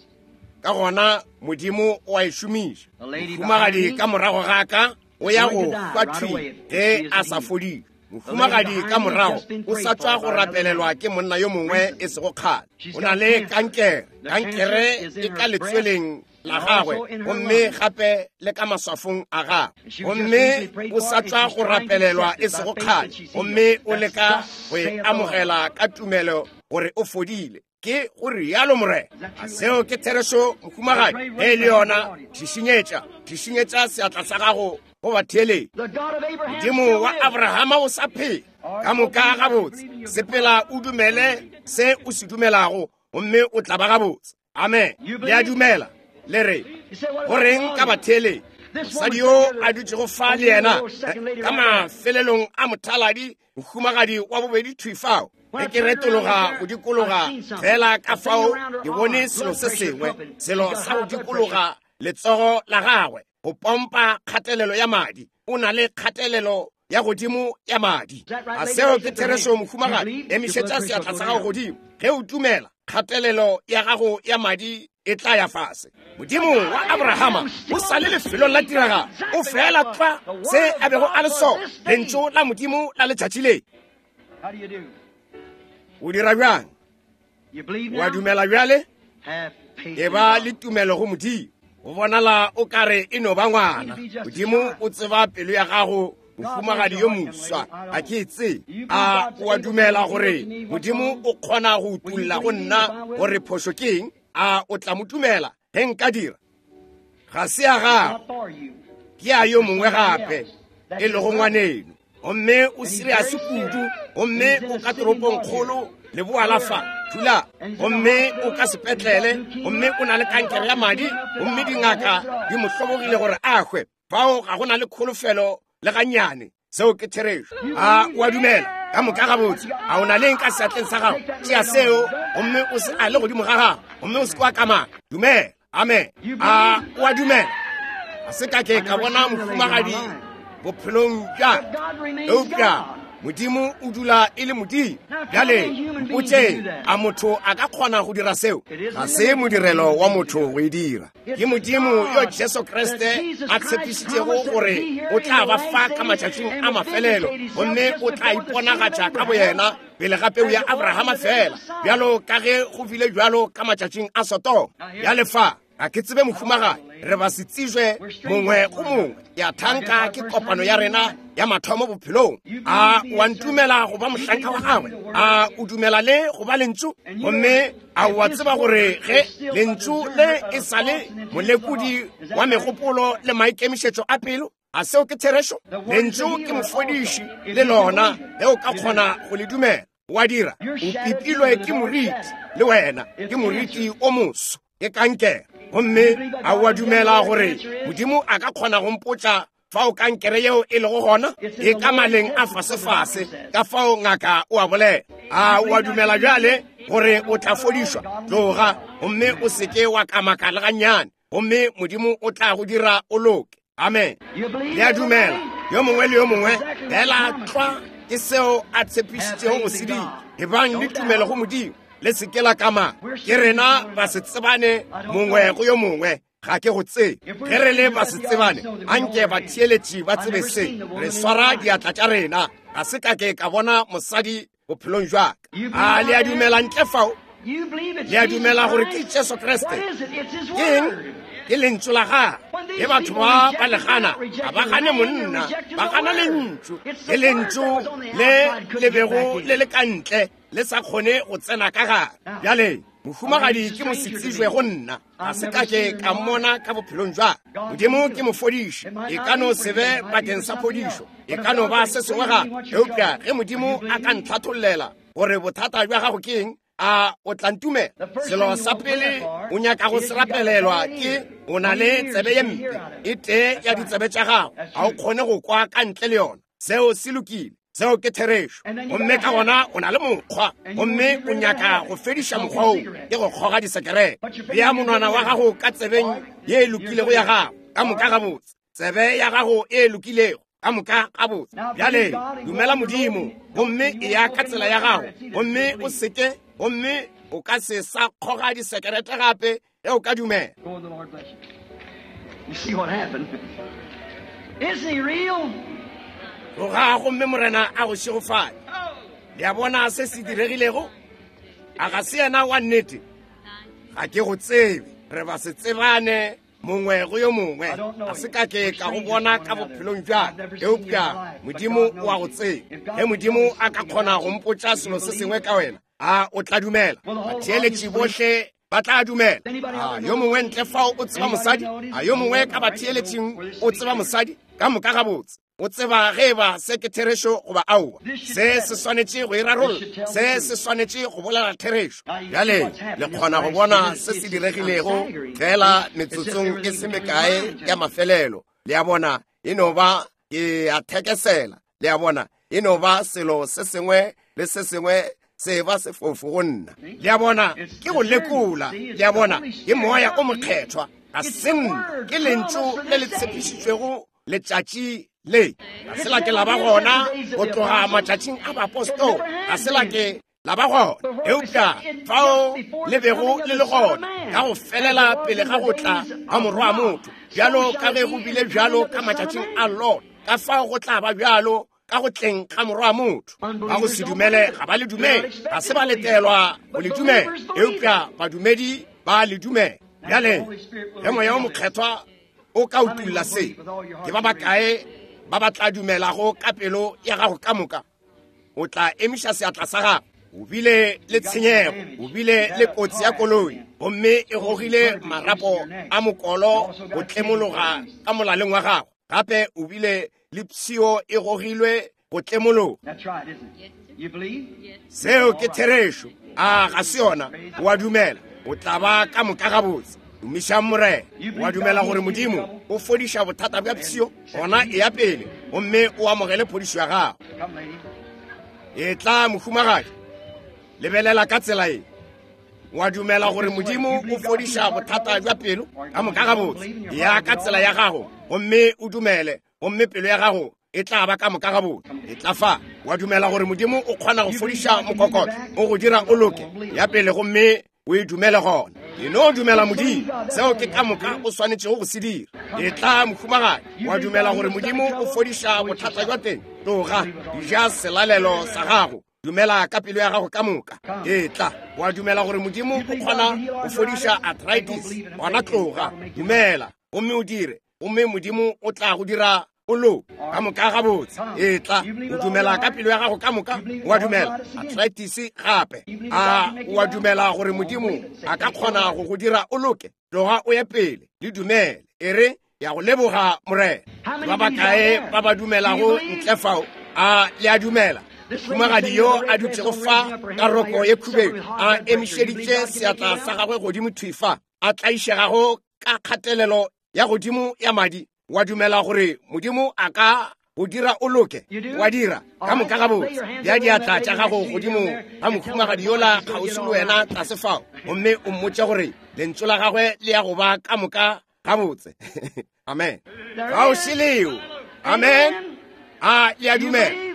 ka gona Modimo o a e šomiša. Mohumagadi ka morago ga ka o ya go hwa thwi ge a sa fodile. Mohumagadi ka morago o sa tšwa go rapelelwa ke monna yo mongwe e sego kgale. O na le kankere. Kankere e ka letsweleng la gagwe gomme gape le ka maswafong a gagwe gomme o sa tšwa go rapelelwa e sego kgale gomme o leka go e amogela ka tumelo gore o fodile ke go rialo morena a seo ke therešo mohumagadi ge e le yona šišinyetša šišinyetša seatla sa gago go batheeletši modimo wa abrahama o sa phela ka moka gabotse sepela o dumele se o se dumelago gomme o tla ba gabotse amen le a dumela le re go reng ka batheeletši mosadi yo a dutšego fa le yena ka mafelelong a mothaladi mohumagadi wa bobedi thwi fao ge ke retologa go dikologa fela ka fao ke bone selo se sengwe selo sa go dikologa letsogo la gagwe go pompa kgatelelo ya madi o na le kgatelelo ya godimo ya madi a seo ke therešo mohumagadi emišetša seatla sa gago godimo ge o dumela kgatelelo ya gago ya madi e tla ya fase modimo wa abrahama o sa le lefelong la tiragalo o fela tlwa se a bego a le sona lentšu la modimo la letšatši le o dira bjang wa dumela bjale e ba le tumelo go modimo go bonala o ka re e no ba ngwana modimo o tseba pelo ya gago mohumagadi yo moswa ga ke e tsee a o a dumela gore modimo o kgona go utulla go nna gore phošo ke eng a o tla mo dumela ge nka dira ga se ya gago ke ya yo mongwe gape e lego ngwaneno gomme o seriase kudu gomme o ka toropong kgolo leboa la fa thula gomme o ka sepetlele gomme o na le kankere ya madi gomme dingaka di mo hlobogile gore a hwe fao ga go na le kholofelo le gannyane seo ke therešo a o a dumela ka moka gabotse a o na leng ka seatleng sa gago tšea seo gomme o se a le godimo ga gago gomme o se kwa kamana dumela amen a o a dumela ga se ka ke ka bona mohumagadi bophelong bja eupša modimo o dula e le modimo bjale mpotšeng a motho a ka kgona go dira seo ga se modirelo wa motho go e dira ke modimo yo jesu kriste a tshepišitšego gore o tla ba fa ka matšatšing a mafelelo gomme o tla iponagatša ka boyena pele ga peu ya abrahama fela bjalo ka ge go bile bjalo ka matšatšing a sodoma bjale fa ga ke tsebe mohumagadi re ba se tsijwe mongwe go mongwe ya thanka ke kopano ya rena ya mathomo bophelong a wa ntumela go ba mohlanka wa gagwe a o dumela le go ba lentšu gomme a wa tseba gore ge lentšu le e sa le molekodi wa megopolo le maikemišetšo a pelo a seo ke therešo lentšu ke mofodiši le lona ge o ka kgona go le dumela wa dira o pipilwe ke moriti le wena ke moriti o moso ke kankere gomme a wa dumela gore modimo a ka kgona go mpotša fao kankere yeo e lego gona e ka maleng a fasefase ka fao ngaka o a bolela a wa dumela bjale gore o tla fodišwa tloga gomme o seke wa kamaka le gannyane gomme modimo o tla go dira o loke amen le a dumela yo mongwe le yo mongwe fela tlwa ke seo a tshepišitšego go se dira ebang le tumelo go modimo le seke la kama ke rena ba se tsebane mongwe go yo mongwe ga ke go tsebe ge re le ba se tsebane anke batheeletši ba tsebe se re swara diatla tša rena ga se ka ke ka bona mosadi bophelong jwa ka a le a dumela ntle fao le a dumela gore ke jesu kriste ke eng ke lentšu la gagwe ge batho ba ba le gana ga ba gane monna ba gana lentšu ke lentšu le le bego le le ka ntle le sa kgone go tsena ka gare bjale mohumagadi ke mosetsijwe go nna ga se ka ke ka mmona ka bophelong jwa modimo ke mofodiši e ka no se be bakeng sa phodišo e ka no ba se sengwe gape eupša ge modimo a ka ntlhathollela gore bothata bja gago ke eng a o tla ntumela selo sa pele o nyaka go se rapelelwa ke o na le tsebe ye mpe e tee ya ditsebe tša gago ga o kgone go kwa ka ntle le yona seo se lokile seo ke therešo gomme ka gona o na le mokgwa gomme o nyaka go fediša mokgwa oo ke go kgoga disekerete bea monwana wa gago ka tsebeng ye e lokilego ya gago ka moka gabotse tsebe ya gago e lokilego ka moka gabotse bjale dumela modimo gomme e ya ka tsela ya gago gomme o seke gomme o ka se sa kgoga disekerete gape ge o ka dumela You see what happened? Isn't he real? Tloga gomme morena a go šegofale le a bona se se diregilego a ga se yena wa nnete ga ke go tsebe Re ba se tsebane mongwe go yo mongwe. Ga se ka ke ka go bona ka bophelong bja ka, eupša Modimo o a go tseba. Ge Modimo a ka kgona go mpotša selo se sengwe ka wena, a o tla dumela? Batheeletši bohle ba tla dumela. A yo mongwe ntle fao o tseba mosadi? A yo mongwe ka batheeletšing o tseba mosadi? Ka moka gabotse. O tseba ge eba se ke therešo goba aowa. Se se swanetše go e rarolla. Se se swanetše go bolela therešo. Bjale le kgona go bona se se diregilego fela metsotsong e se mekae ya mafelelo. Le a bona, e no ba ke a thekesela. Le a bona, e no ba selo se sengwe le se sengwe se ba sefofu go nna. Le a bona, ke go lekola. Le a bona, ke Moya o Mokgethwa. Ga se nna, ke Lentšu le le tshepišitšwego letšatši le. Ga se la ke la ba gona go tloga matšatšing a baapostola, ga se la ke la ba gona, eupša fao le bego le le gona ka go felela pele ga go tla ga Morwa wa motho, bjalo ka ge go bile bjalo ka matšatšing a Lot, ka fao go tla ba bjalo ka go tleng ga Morwa wa motho. Ba go se dumele ga ba le dumele, ga se ba letelwa go le dumela, eupša badumedi ba le dumela. Bjale ge Moya wo Mokgethwa o ka utulla se, ke ba bakae ba ba tla dumelago ka pelo ya gago ka moka? O tla emiša seatla sa gago. O bile le tshenyego, o bile le kotsi ya koloi, gomme e gogile marapo a mokolo go tlemologa ka molaleng wa gago. Gape o bile le pshio e gogilwe go tlemologa. Seo ke therešo. A ga se yona? O a dumela? O tla ba ka moka gabotse. Tumišang Morena. O a dumela gore Modimo o fodiša bothata bja pshio? Gona eya pele gomme o amogele phodišo ya gago. Etla, mohumagadi. Lebelela ka tsela ye. O a dumela gore Modimo o fodiša bothata bja pelo? Ka moka gabotse. Eya ka tsela ya gago gomme o dumele, gomme pelo ya gago e tla ba ka moka gabotse. E tla fa. Wa dumela gore Modimo o kgona go fodiša mokokotlo, o go dira o loke? Ya pele gomme o e dumele gona. E no dumela Modimo, seo ke ka moka o swanetšego go se dira. E tla, mohumagadi. Wa dumela gore Modimo o fodiša bothata bja teng? Tloga, ja selalelo sa gago. Dumela ka pelo ya gago ka moka. E tla. Wa dumela gore Modimo o kgona go fodiša arthritis? Gona tloga, dumela gomme o dire, gomme Modimo o tla go dira o loke. Ka moka gabotse. E tla. O dumela ka pelo ya gago ka moka? O a dumela? Arthritis gape. A o a dumela gore Modimo a ka kgona go go dira o loke? Tloga o ye pele, le dumele. E re, ya go leboga Morena. Ba bakae ba ba dumelago ntle fao? A le a dumela? Mohumagadi yo a dutšego fa ka roko ye khubedu, a emišeditše seatla sa gagwe godimo thwi fa, a tlaišegago ka kgatelelo ya godimo ya madi, wa dumela gore Modimo a ka go dira o loke? Wa dira? Ka moka gabotse. Bea diatla tša gago godimo ga mohumagadi yola kgauswi le wena tlase fao, gomme o mmotše gore lentšu la gagwe le ya go ba ka moka gabotse. Amen. Ga o šeleo. Amen. A le a dumela?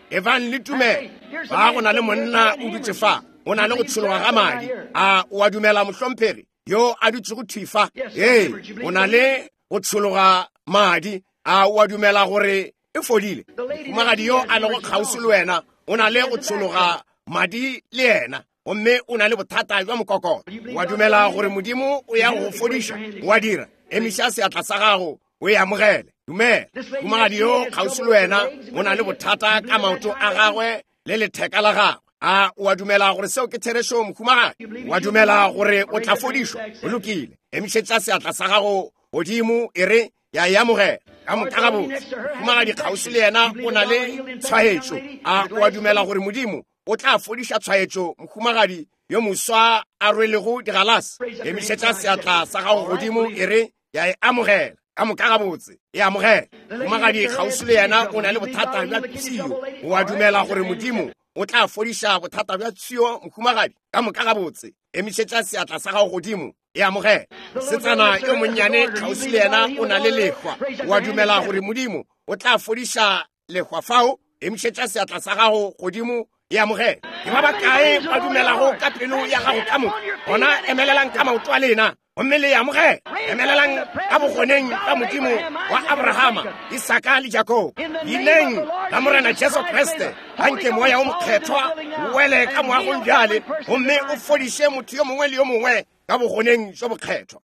Ebang le tumelo. Ba go na le monna o dutše fa, o na le go tšhologa ga madi. A o a dumela, mohlomphegi yo a dutšego thwi fa? Ee, o na le go tšhologa madi. A o a dumela gore e fodile? Mohumagadi yo a lego kgauswi le wena o na le go tšhologa madi le yena, gomme o na le bothata bja mokokotlo. O a dumela gore Modimo o ya go go fodiša? O a dira? Emiša seatla sa gago o e amogele. Dumela. Mohumagadi yo kgauswi le wena o na le bothata ka maoto a gagwe le letheka la gagwe. A o a dumela gore seo ke therešo, mohumagadi? O a dumela gore o tla fodišwa? Go lokile. Emišetša seatla sa gago godimo, e re, ya e amogela. Ka moka gabotse. Mohumagadi kgauswi le yena o na le tshwaetšo. A o a dumela gore Modimo o tla fodiša tshwaetšo, mohumagadi yo moswa a rwelego digalase? Emišetša seatla sa gago godimo, e re, ya e amogela. Ka moka gabotse, e amogela. Mohumagadi kgauswi le yena o na le bothata bja pshio. O a dumela gore Modimo o tla fodiša bothata bja pshio, mohumagadi? Ka moka gabotse, emišetša seatla sa gago godimo, e amogela. Mosetsana yo monnyane kgauswi le yena o na le lehwa. O a dumela gore Modimo o tla fodiša lehwa fao? Emišetša seatla sa gago godimo, e amogela. Ke ba bakae ba dumelago ka pelo ya gago ka moka? Gona emelelang ka maoto a lena gomme le e amogele. Emelelang ka bogoneng bja Modimo wa Abrahama, Isaka le Jakobo. Leineng la Morena Jesu Kriste, anke Moya o Mokgethwa o wele ka moagong bjale gomme o fodiše motho yo mongwe le yo mongwe ka bogoneng bjo bokgethwa.